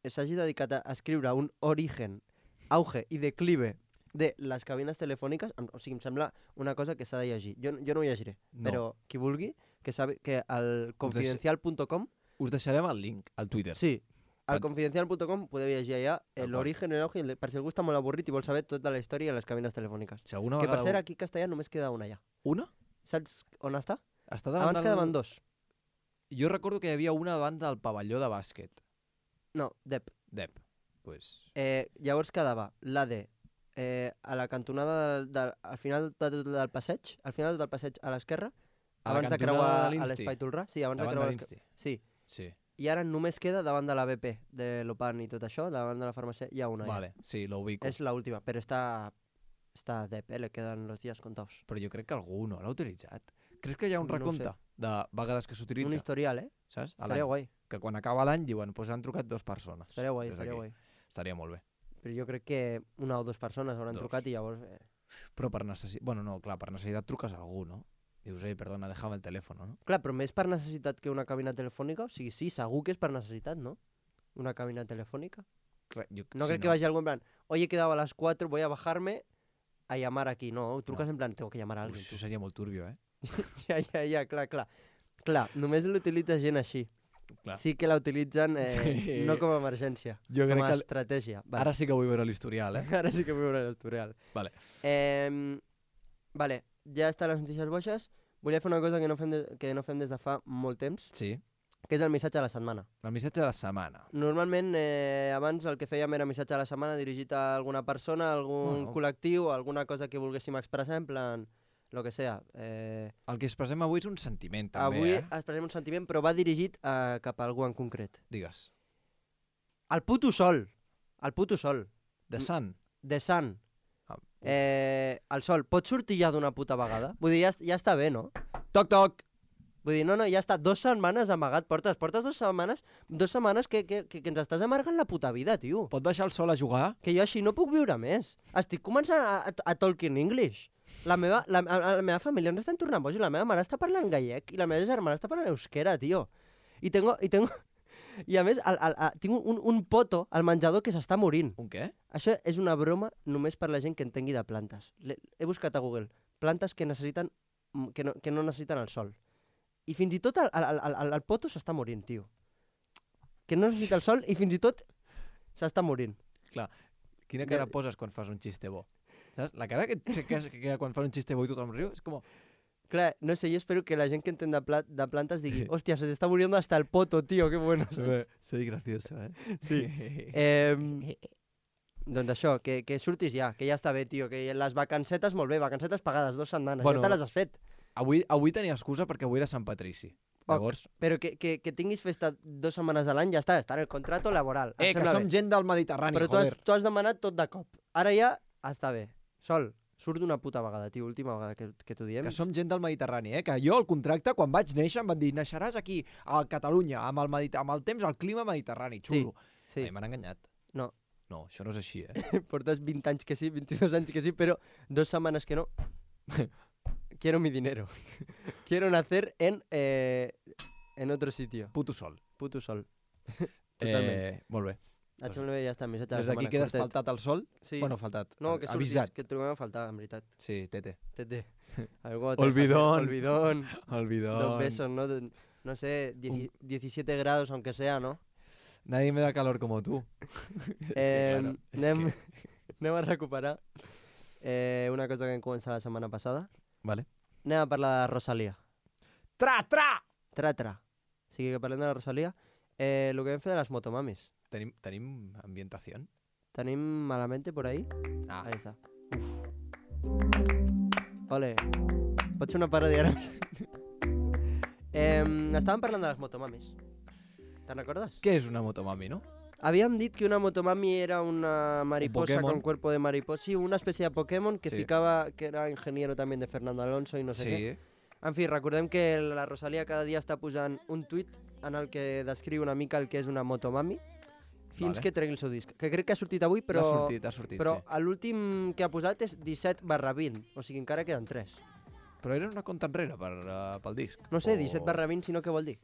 s'hagi dedicat a escriure un origen, auge i declive de les cabines telefòniques, o sigui, em sembla una cosa que s'ha de llegir. Jo no ho llegiré, No. però qui vulgui, que sabi que al confidencial.com, Us deixarem el link al Twitter. sí, al Pan- confidencial.com podeu llegir allà Tal l'origen, el auge, per si algú està molt avorrit i vol saber tota la història de les cabines telefòniques. Si alguna Que per vegada... cert, aquí a Castellà només queda una ja. Una? Saps on està? Està davant Abans quedaven dos. Jo recordo que hi havia una davant del pavelló de bàsquet. No, Dep. Dep. Pues... Llavors quedava l'AD a la cantonada al final del passeig, a l'esquerra, A la abans de cantonada creuar de a l'Insti. l'Espai Tolrà. Sí, abans de Davant creuar de l'Espai. l'Insti. Sí. Sí. I ara només queda davant de la BP, de l'Opan i tot això, davant de la farmàcia, hi ha una. Vale, sí, lo ubico. És l'última, però està a Dep, le queden los días contados. Però jo crec que algú no l'ha utilitzat. Creus que hi ha un No ho recompte sé. de vegades que s'utilitza? Un historial, Saps? A Estaria l'any. guai, Que quan acaba l'any diuen, pues han trucat 2 persones. estaria guai, des estaria d'aquí. guai. Estaria molt bé. Però jo crec que una o dues persones hauran Dos. trucat i llavors... Però per necessitat... Bueno, no, clar, per necessitat truques a algú, no? Dius, perdona, déjame el teléfono, no? Clar, però més per necessitat que una cabina telefònica? O sigui, sí, segur que és per necessitat, no? Una cabina telefònica. Clar, jo, No sí, crec que vagi algú en plan, oye, he quedado a las 4, voy a bajarme a llamar aquí. No, trucas No. en plan, tengo que llamar a Ui, alguien. això seria molt turbio, eh? Ja, clar. Clar, només l'utilitza gent així. Clar. Sí que la utilitzen Sí. no com a emergència, Jo com crec a que... estratègia. Vale. Ara sí que vull veure l'historial, eh? Ara sí que vull veure l'historial. Vale. Vale, ja estan les notícies boixes. Volia fer una cosa que no fem des de fa molt temps, Sí. que és el missatge de la setmana. El missatge de la setmana. Normalment, abans el que fèiem era missatge de la setmana dirigit a alguna persona, a algun Bueno. col·lectiu, alguna cosa que volguéssim expressar, en plan, lo que sea. El que expressem avui és un sentiment, també, Avui eh? expressem un sentiment, però va dirigit cap a algú en concret. Digues. El puto sol. El puto sol. The Sun. The sun. Ah, El sol. Pot sortir ja d'una puta vegada? Vull dir, ja està bé, no? Toc, toc! Vull dir, no, ja està 2 setmanes amagat. Portes 2 setmanes que ens estàs amargant la puta vida, tio. Pot baixar el sol a jugar? Que jo així no puc viure més. Estic començant a talking English. La meva família no està tornant boja. La meva mare està parlant gallec i la meva germana està parlant euskera, tio. I a més, tinc un poto al menjador que s'està morint. Un què? Això és una broma només per la gent que entengui de plantes. He buscat a Google plantes que necessiten que no necessiten el sol. I fins i tot el poto s'està morint, tio. que no necessita el sol i fins i tot s'està morint. Clar, quina cara poses quan fas un xiste bo? Saps? La cara que queda quan fas un xiste bo i tothom riu és com... Clar, no sé, yo espero que la gente que entén de plantas digui hostia, se te está muriendo hasta el poto, tío, qué bueno. Soy gracioso, eh? Sí. Doncs això, que surtis ja, que ja està bé, tio, que les vacancetes, molt bé, vacancetes pagades, 2 setmanes, Bueno, ja te les has fet. Avui tenia excusa perquè avui era Sant Patrici. Llavors... Però que tinguis festa 2 setmanes a l'any ja està en el contrato laboral. que som gent del Mediterrani, però joder. tu has demanat tot de cop. Ara ja està bé. Sol, surt d'una puta vegada, tio, última vegada que t'ho diem. Que som gent del Mediterrani, que jo el contracte, quan vaig néixer, em van dir naixeràs aquí, a Catalunya, amb el temps, el clima mediterrani, xulo. Sí. M'han enganyat. No. No, això no és així, Portes 20 anys que sí, 22 anys que sí, però 2 setmanes que no. Quiero mi dinero. Quiero nacer en otro sitio. Puto sol. Puto sol. Totalment. Molt bé. Et sembla bé, ja està, missatge de la Des d'aquí setmana. quedes curtet. faltat al sol? Sí. Bueno, faltat. No, que surtis, avisat. que et trobem a faltar, en veritat. Sí, tete. Tete. Algo Olvidón. Olvidón. Olvidón. 2 besos, ¿no? No sé, 17 grados aunque sea, ¿no? Nadie me da calor como tú. Anem a recuperar una cosa que vam començar la setmana passada. Vale. Anem a parlar de Rosalía. Tra! Tra. O sigui que parlem de la Rosalía. Lo que vam fer de les motomamis. Tenim ambientació? Tenim Malamente por ahí? Ah. Ahí està. Ole. Pots fer una paròdia ara? Estàvem parlant de les motomamis. Te'n recordes? Què és una motomami, no? Havíem dit que una motomami era una mariposa Pokémon. con cuerpo de mariposa. Sí, una especie de Pokémon que Sí. ficaba, que era ingeniero también de Fernando Alonso y no sé què. En fi, recordem que la Rosalía cada dia està posant un tuit en el que descriu una mica el que és una motomami fins Vale. que tregui el seu disc. Que crec que ha sortit avui, però, Ha sortit, però sí. l'últim que ha posat és 17/20, o sigui, encara queden 3. Però era una compta enrere pel disc. No sé, O 17/20, si no què vol dir?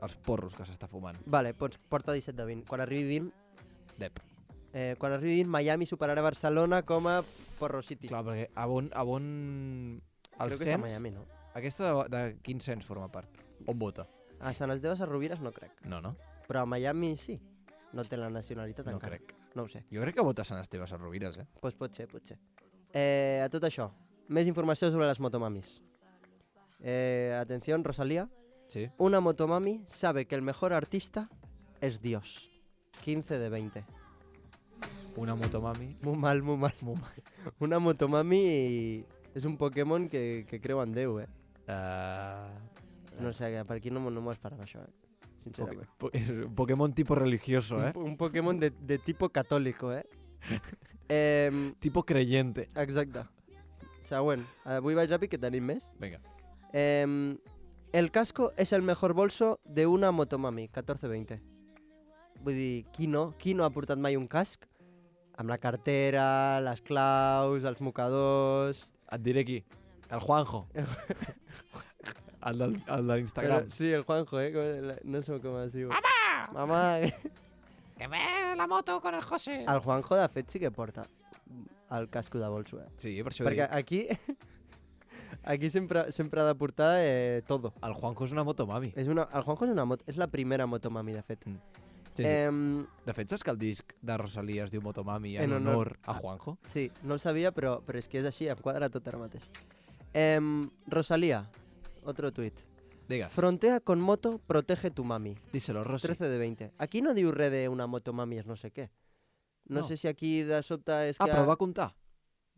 Els porros que s'està fumant. Vale, doncs porta 17/20. Quan arribi 20, Dep. quan arribi 20, Miami superarà Barcelona com a Porro City. Clar, perquè a on... El Crec que està a cens, Miami, no? aquesta de quin cens forma part? On vota? A Sant Esteve Rovires no crec. No, no? Però a Miami sí. No té la nacionalitat No encara. crec. No ho sé. Jo crec que vota Sant Esteve a Rovires, Pues pot ser. A tot això, més informació sobre les motomamis. Atención, Rosalía. Sí. Una motomami sabe que el mejor artista es Dios. 15/20. Una motomami. Muy mal. Una motomami és un Pokémon que creu en Déu, No sé, per aquí no m'ho esperava això, sincerament. És un Pokémon tipo religioso, Un Pokémon de tipo católico, Tipo creyente. Exacte. Següent. Avui vaig ràpid, que tenim més. Venga. El casco es el mejor bolso de una motomami, 14/20. Vull dir, qui no ha portat mai un casc? Amb la cartera, les claus, els mocadors... Et diré qui. El Juanjo. el de l'Instagram. Però, sí, el Juanjo, no sé com es diu. Mamà! Que ve la moto con el José. El Juanjo, de fet, sí que porta el casco de bolso, Sí, per això Perquè dic. aquí sempre ha de portar todo. El Juanjo és una motomami. El Juanjo és la primera motomami, de fet. Sí. De fet, saps que el disc de Rosalía es diu Motomami en honor a Juanjo? Sí, no el sabia, però és que és així, em quadra tot ara mateix. Rosalía, otro tuit. Digues. Frontea con moto, protege tu mami. Díselo, Rosy. 13/20. Aquí no diu res d'una motomami és no sé què. No sé si aquí de sobte és que... però el va comptar.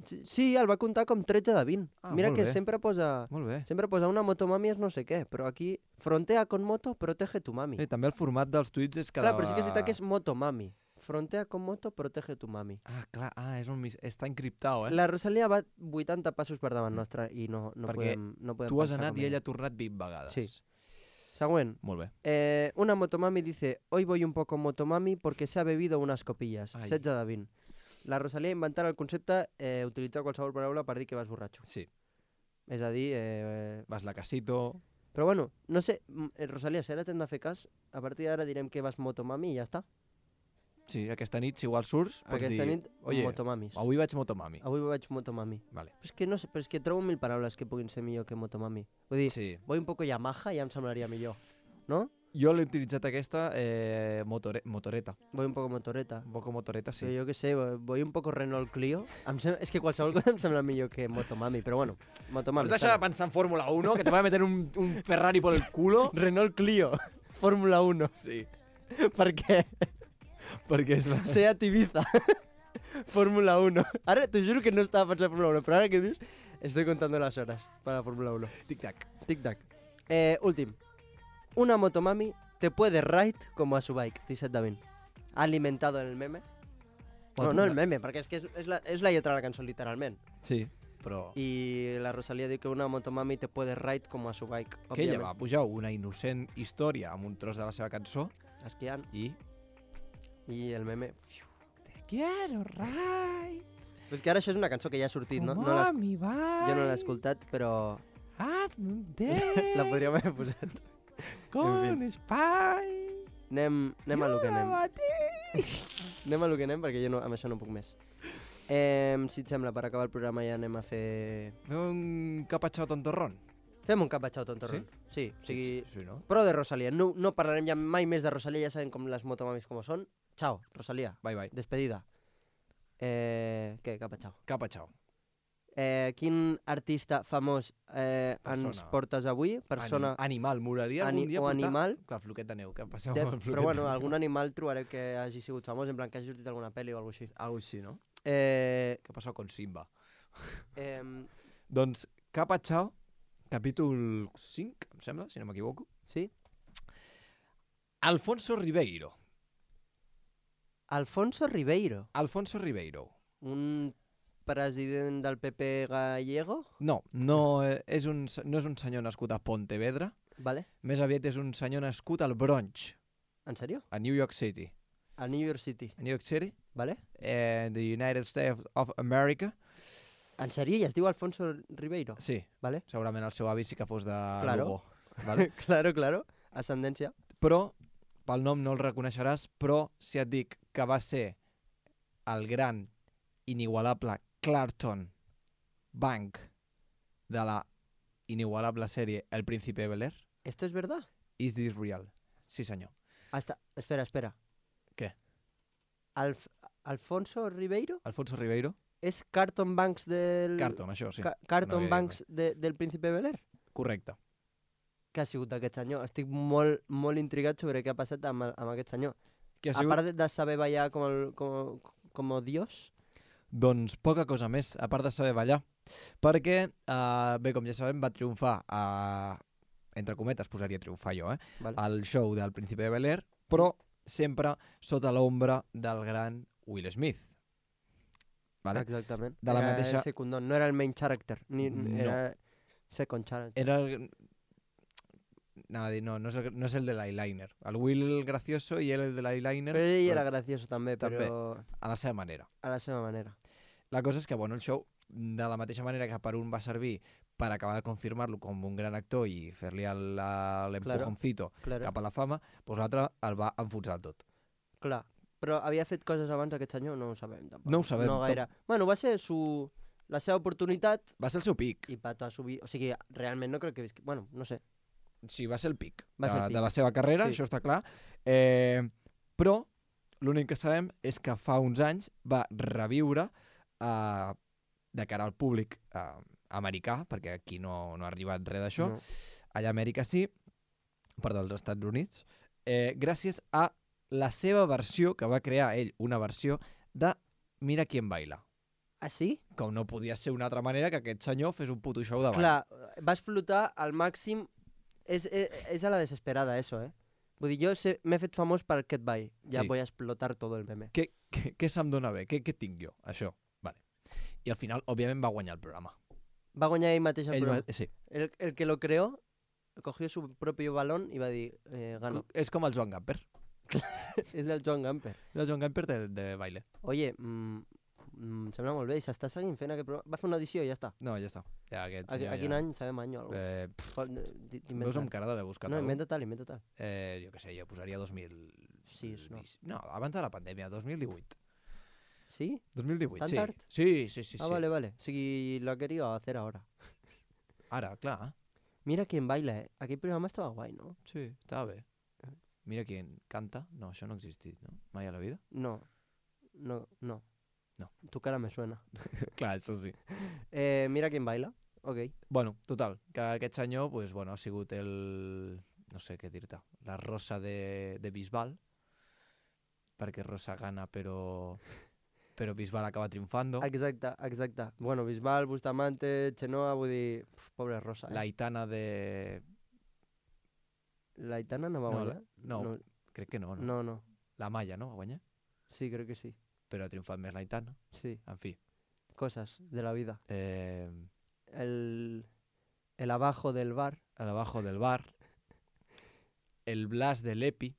Sí, el va comptar com 13/20. Mira molt que bé. sempre posa una motomami és no sé què, però aquí frontea con moto, protege tu mami. També el format dels tuits és cada... Clar, però sí que és veritat que és motomami. Frontea con moto, protege tu mami. Clar, està encriptat, La Rosalía va 80 passos per davant nostre i no Perquè podem tu has pensar anat com i ella ha tornat 20 vegades. Sí. Següent. Molt bé. Una motomami dice, hoy voy un poco motomami porque se ha bebido unas copillas. 16/20. La Rosalía inventarà el concepte utilitzar qualsevol paraula per dir que vas borratxo. Sí. És a dir... Vas la casito... Però bueno, no sé, Rosalía, si ara t'hem de fer cas, a partir d'ara direm que vas motomami i ja està. Sí, aquesta nit, si igual surts, pots dir... Aquesta nit, Oye, motomamis. avui vaig motomami. Avui vaig motomami. Vale. Però és que no sé, però és que trobo 1000 paraules que puguin ser millor que motomami. Vull dir, Sí. voy un poco Yamaha ja em semblaria millor, no? Jo l'he utilitzat aquesta motoreta. Voy un poco motoreta. Un poco motoreta, sí. Sí. Jo què sé, voy un poco Renault Clio. És que qualsevol cosa em sembla millor que Motomami, però bueno, Motomami. Has deixat de pensar en Fórmula 1, que te va a meter un Ferrari por el culo? Renault Clio, Fórmula 1. Sí. Per què? Perquè és la... Seat Ibiza, Fórmula 1. Ara t'ho juro que no estava pensant en Fórmula 1, però ara que dius, estoy contando las horas para la Fórmula 1. Tic-tac. Tic-tac. Últim. Una Motomami te puede ride como a su bike, Cisset Davin. Ha alimentado el meme. Bueno, no el meme, perquè és que és la lletra de la cançó, literalment. Sí, però... I la Rosalía diu que una Motomami te puede ride como a su bike, Que ella va pujar una innocent història amb un tros de la seva cançó esquiant. i I el meme... Quiero ride. Pues que ara això és una cançó que ja ha sortit, no? Como a mi bike. Jo no l'he escoltat, però Hazme un té. la podríem haver posat. Con Spy. Anem a lo que anem. Anem a lo que anem, perquè jo no, amb això no puc més. Si et sembla, per acabar el programa ja anem a fer... Fem un capatxau tontorrón. Fem un capatxau tontorrón. Sí, o sigui... Sí, no? Pro de Rosalía. No parlarem ja mai més de Rosalía, ja sabem com les motomamis com són. Chao, Rosalía. Bye, bye. Despedida. Què? Capatxau. Capatxau. Quin artista famós ens portes avui? Persona... Animal. M'agradaria algun dia o portar... animal. Clar, floquet de neu, que passeu amb el floquet Però bueno, de neu. algun animal trobareu que hagi sigut famós, en plan que hagi sortit alguna pel·li o alguna cosa així. Algo així, no? Eh, Què passa con Simba? em, Doncs Capatxau, capítol 5, em sembla, si no m'equivoco. sí? Alfonso Ribeiro. Alfonso Ribeiro, Alfonso Ribeiro. un president del PP gallego, No és un senyor nascut a Pontevedra, vale? més aviat és un senyor nascut al Bronx, En sèrio? a New York City. A New York City, A New York City, vale? the United States of America. En sèrio? I es diu Alfonso Ribeiro? Sí, Vale? segurament el seu avi sí que fos de Claro. Lugo. Vale? Claro, ascendència. Però, pel nom no el reconeixeràs, però si et dic que va ser el gran, inigualable Clarkson Bank de la inigualable sèrie El Príncipe de Bel-Air, ¿Esto es verdad? is this real? Sí, senyor. Espera. ¿Qué? Alfonso Ribeiro Alfonso Ribeiro? és Carlton Banks del... Carlton, això, sí. Carlton No, Banks del Príncipe de Bel-Air? Correcte. Què ha sigut d'aquest senyor? Estic molt, molt intrigat sobre què ha passat amb aquest senyor. Què ha A sigut? part de saber ballar com Dios, Doncs poca cosa més, a part de saber ballar. Perquè, bé, com ja sabem, va triomfar, entre cometes posaria triomfar jo, vale? al show del Príncipe de Bel-Air, però sempre sota l'ombra del gran Will Smith. Vale? Exactament. De la Era mateixa- el secundón, no era el main character, No. era second character. Era el... Anava a dir, no és el de l'eyeliner. El Will el gracioso i ell el de l'eyeliner Però ell era gracioso també, També. però a la seva manera. a la seva manera. La cosa és que, bueno, el show, de la mateixa manera que per un va servir per acabar de confirmar-lo com un gran actor i fer-li l'empujoncito Claro. cap a la fama, doncs l'altre el va enfonsar tot. Clar, però havia fet coses abans aquest senyor? No ho sabem, tampoc. No ho sabem, No gaire. Bueno, va ser la seva oportunitat Va ser el seu pic. i pato a subir... O sigui, realment no crec que visqui... Bueno, no sé. Sí, va ser el pic, Va ser el pic. de la seva carrera, Sí. això està clar. Però l'únic que sabem és que fa uns anys va reviure de cara al públic americà, perquè aquí no ha arribat res d'això, No. allà a Amèrica sí, perdó, als Estats Units, gràcies a la seva versió, que va crear ell, una versió de Mira quién baila. Ah, sí? Com no podia ser una altra manera que aquest senyor fes un puto show de ball. Clar, va explotar al màxim... És a la desesperada, eso, Vull dir, jo m'he fet famós per aquest ball. Ja Sí. voy a explotar todo el meme. Què se'm dona bé? Què tinc jo? Això. Vale. I al final, òbviament, va guanyar el programa. Va guanyar ell mateix el programa. Sí. El que lo creó cogió su propio balón i va dir, gano. És com el Joan Gamper. És el Joan Gamper. El Joan Gamper de baile. Oye, em sembla molt bé, i s'està seguint fent aquest programa. Va fer una edició i ja està. No, ja està. Ja, aquest A senyor quin ja... any? Sabem any o alguna cosa. Em veus amb cara d'haver buscat No, alguna cosa? inventa tal. Jo què sé, jo posaria 2000... Sí, no. No, abans de la pandèmia, 2018. ¿Sí? 2018, ¿Tan sí. tard? Sí. Ah, vale. O sigui, lo ha querido hacer ahora. Ara, clar. Mira quién baila, Aquell programa estava guai, no? Sí, estava bé. Mira quién canta. No, això no ha existit, no? Mai a la vida? No. No. Tu cara me suena. Clar, això sí. Mira quién baila. Ok. Bueno, total, que aquest senyor pues, bueno, ha sigut el... no sé què dir-te, la rosa de Bisbal, perquè Rosa gana, però Bisbal acaba triomfando. Exacte. Bueno, Bisbal, Bustamante, Chenoa, vull dir... Pobre Rosa, La Aitana de... La Aitana no va guanyar? No, crec que no. No. La Maya, no? Va guanyar? Sí, crec que sí. Però ha triomfat més la Aitana. Sí. En fi. Cosas de la vida. El abajo del bar. abajo del bar. El Blas de l'Epi.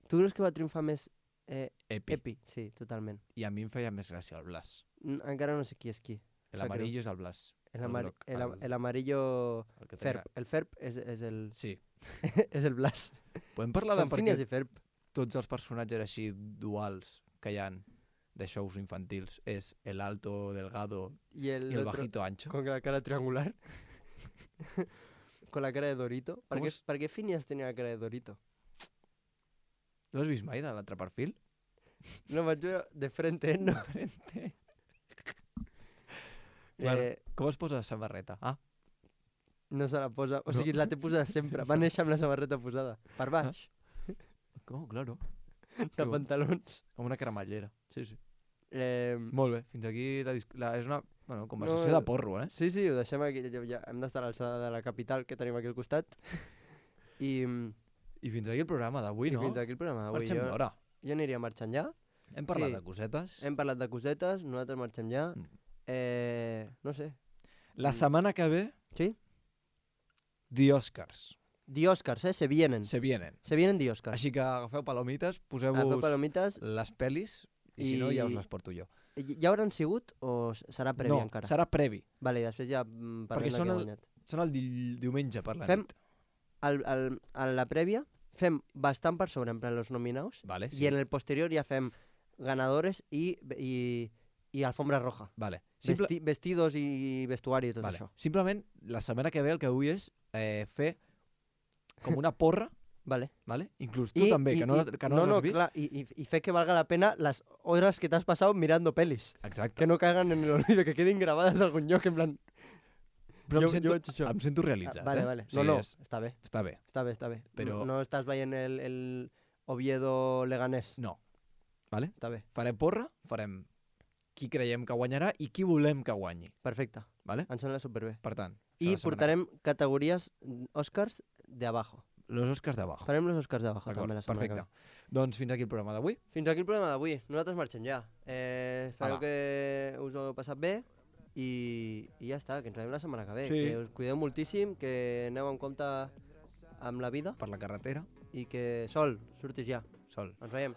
Tu creus que va triomfar més Epi. Epi? Sí, totalment. I a mi em feia més gràcia el Blas. Encara no sé qui és qui. El amarillo és el Blas. El groc, amarillo... el que té Ferb. El Ferb és el... Sí. és el Blas. Podem parlar de Són per Phineas què i Ferb. tots els personatges així duals que hi han de shows infantils és el alto, delgado Y el i el otro bajito ancho. con la cara triangular. Con la cara de Dorito. ¿Para ¿Cómo qué, es? ¿Para qué Phineas tenía la cara de Dorito? No has vist mai de l'altre perfil? No, vaig veure de frente, no. Clar, com es posa la samarreta? Ah, No se la posa. O No. sigui, la té posada sempre. Va néixer amb la samarreta posada. Per baix. com, claro. De pantalons. Com una cremallera. Sí, sí. Eh, Molt bé, fins aquí és una conversació No, de porro, eh? sí, ho deixem aquí. Ja hem d'estar a l'alçada de la capital que tenim aquí al costat. I I fins aquí el programa d'avui, no? fins aquí el programa d'avui. Marxem d'hora. Jo aniria marxant ja. Hem parlat Sí. de cosetes. Hem parlat de cosetes, nosaltres marxem ja. No sé. La setmana que ve, Sí? The Oscars. The Oscars, se vienen. Se vienen. Se vienen The Oscars. Així que agafeu palomites, Agafeu poseu-vos palomites. les pel·lis i si no ja us les porto jo. Ja hauran sigut o serà previ No, encara? serà previ. Vale, i després ja Perquè parlem de són qui ha el- guanyat. Són el diumenge per la Fem- nit. A la prèvia fem bastant per sobre, en plan, los nominados. Vale, I en el posterior ja fem ganadores i alfombra roja. Vale. Vestidos i vestuari i tot Vale. això. Simplement, la setmana que ve el que vull és fer com una porra, Vale. vale? Inclús tu també, que no les has vist. Clar, i fer que valga la pena las horas que t'has passat mirando pelis. Exacte. Que no caigan en el olvido, que quedin grabades a algun lloc, en plan... Però jo em vaig això. sento realitzat, Vale, eh? vale. O sigui, No, és- està bé. està bé. Està bé. Però- No estàs veient el Oviedo Leganés. No. Vale? Està bé. Farem porra, farem qui creiem que guanyarà i qui volem que guanyi. Perfecte. Vale? Em sembla superbé. Per tant, I la setmana- portarem categories Oscars de abajo. los Oscars d'abajo. Farem los Oscars de abajo D'acord, també la setmana que perfecte. ve. Doncs fins aquí el programa d'avui. Fins aquí el programa d'avui. Nosaltres marxem ja. Espero Ala. que us ho heu passat bé i ja està, que ens veiem la setmana que ve. Sí. Que us cuideu moltíssim, que aneu en compte amb la vida Per la carretera. i que Sol, surtis ja. Sol. Ens veiem.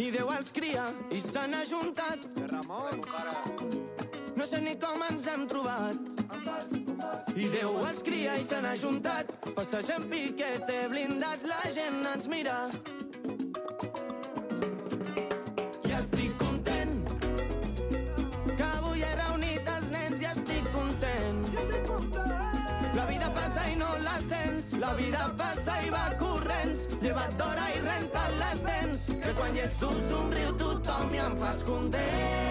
I Déu els cria i se n'ha juntat. No sé ni com ens hem trobat. I Déu els cria i se n'ha juntat. Passegem piquete blindat, la gent ens mira. I estic content que avui he reunit els nens i estic content. La vida passa i no la sents. La vida passa i va corrents. Lleva't d'hora i renta't les dents. Que quan hi ets tu somriu tothom i em fas content.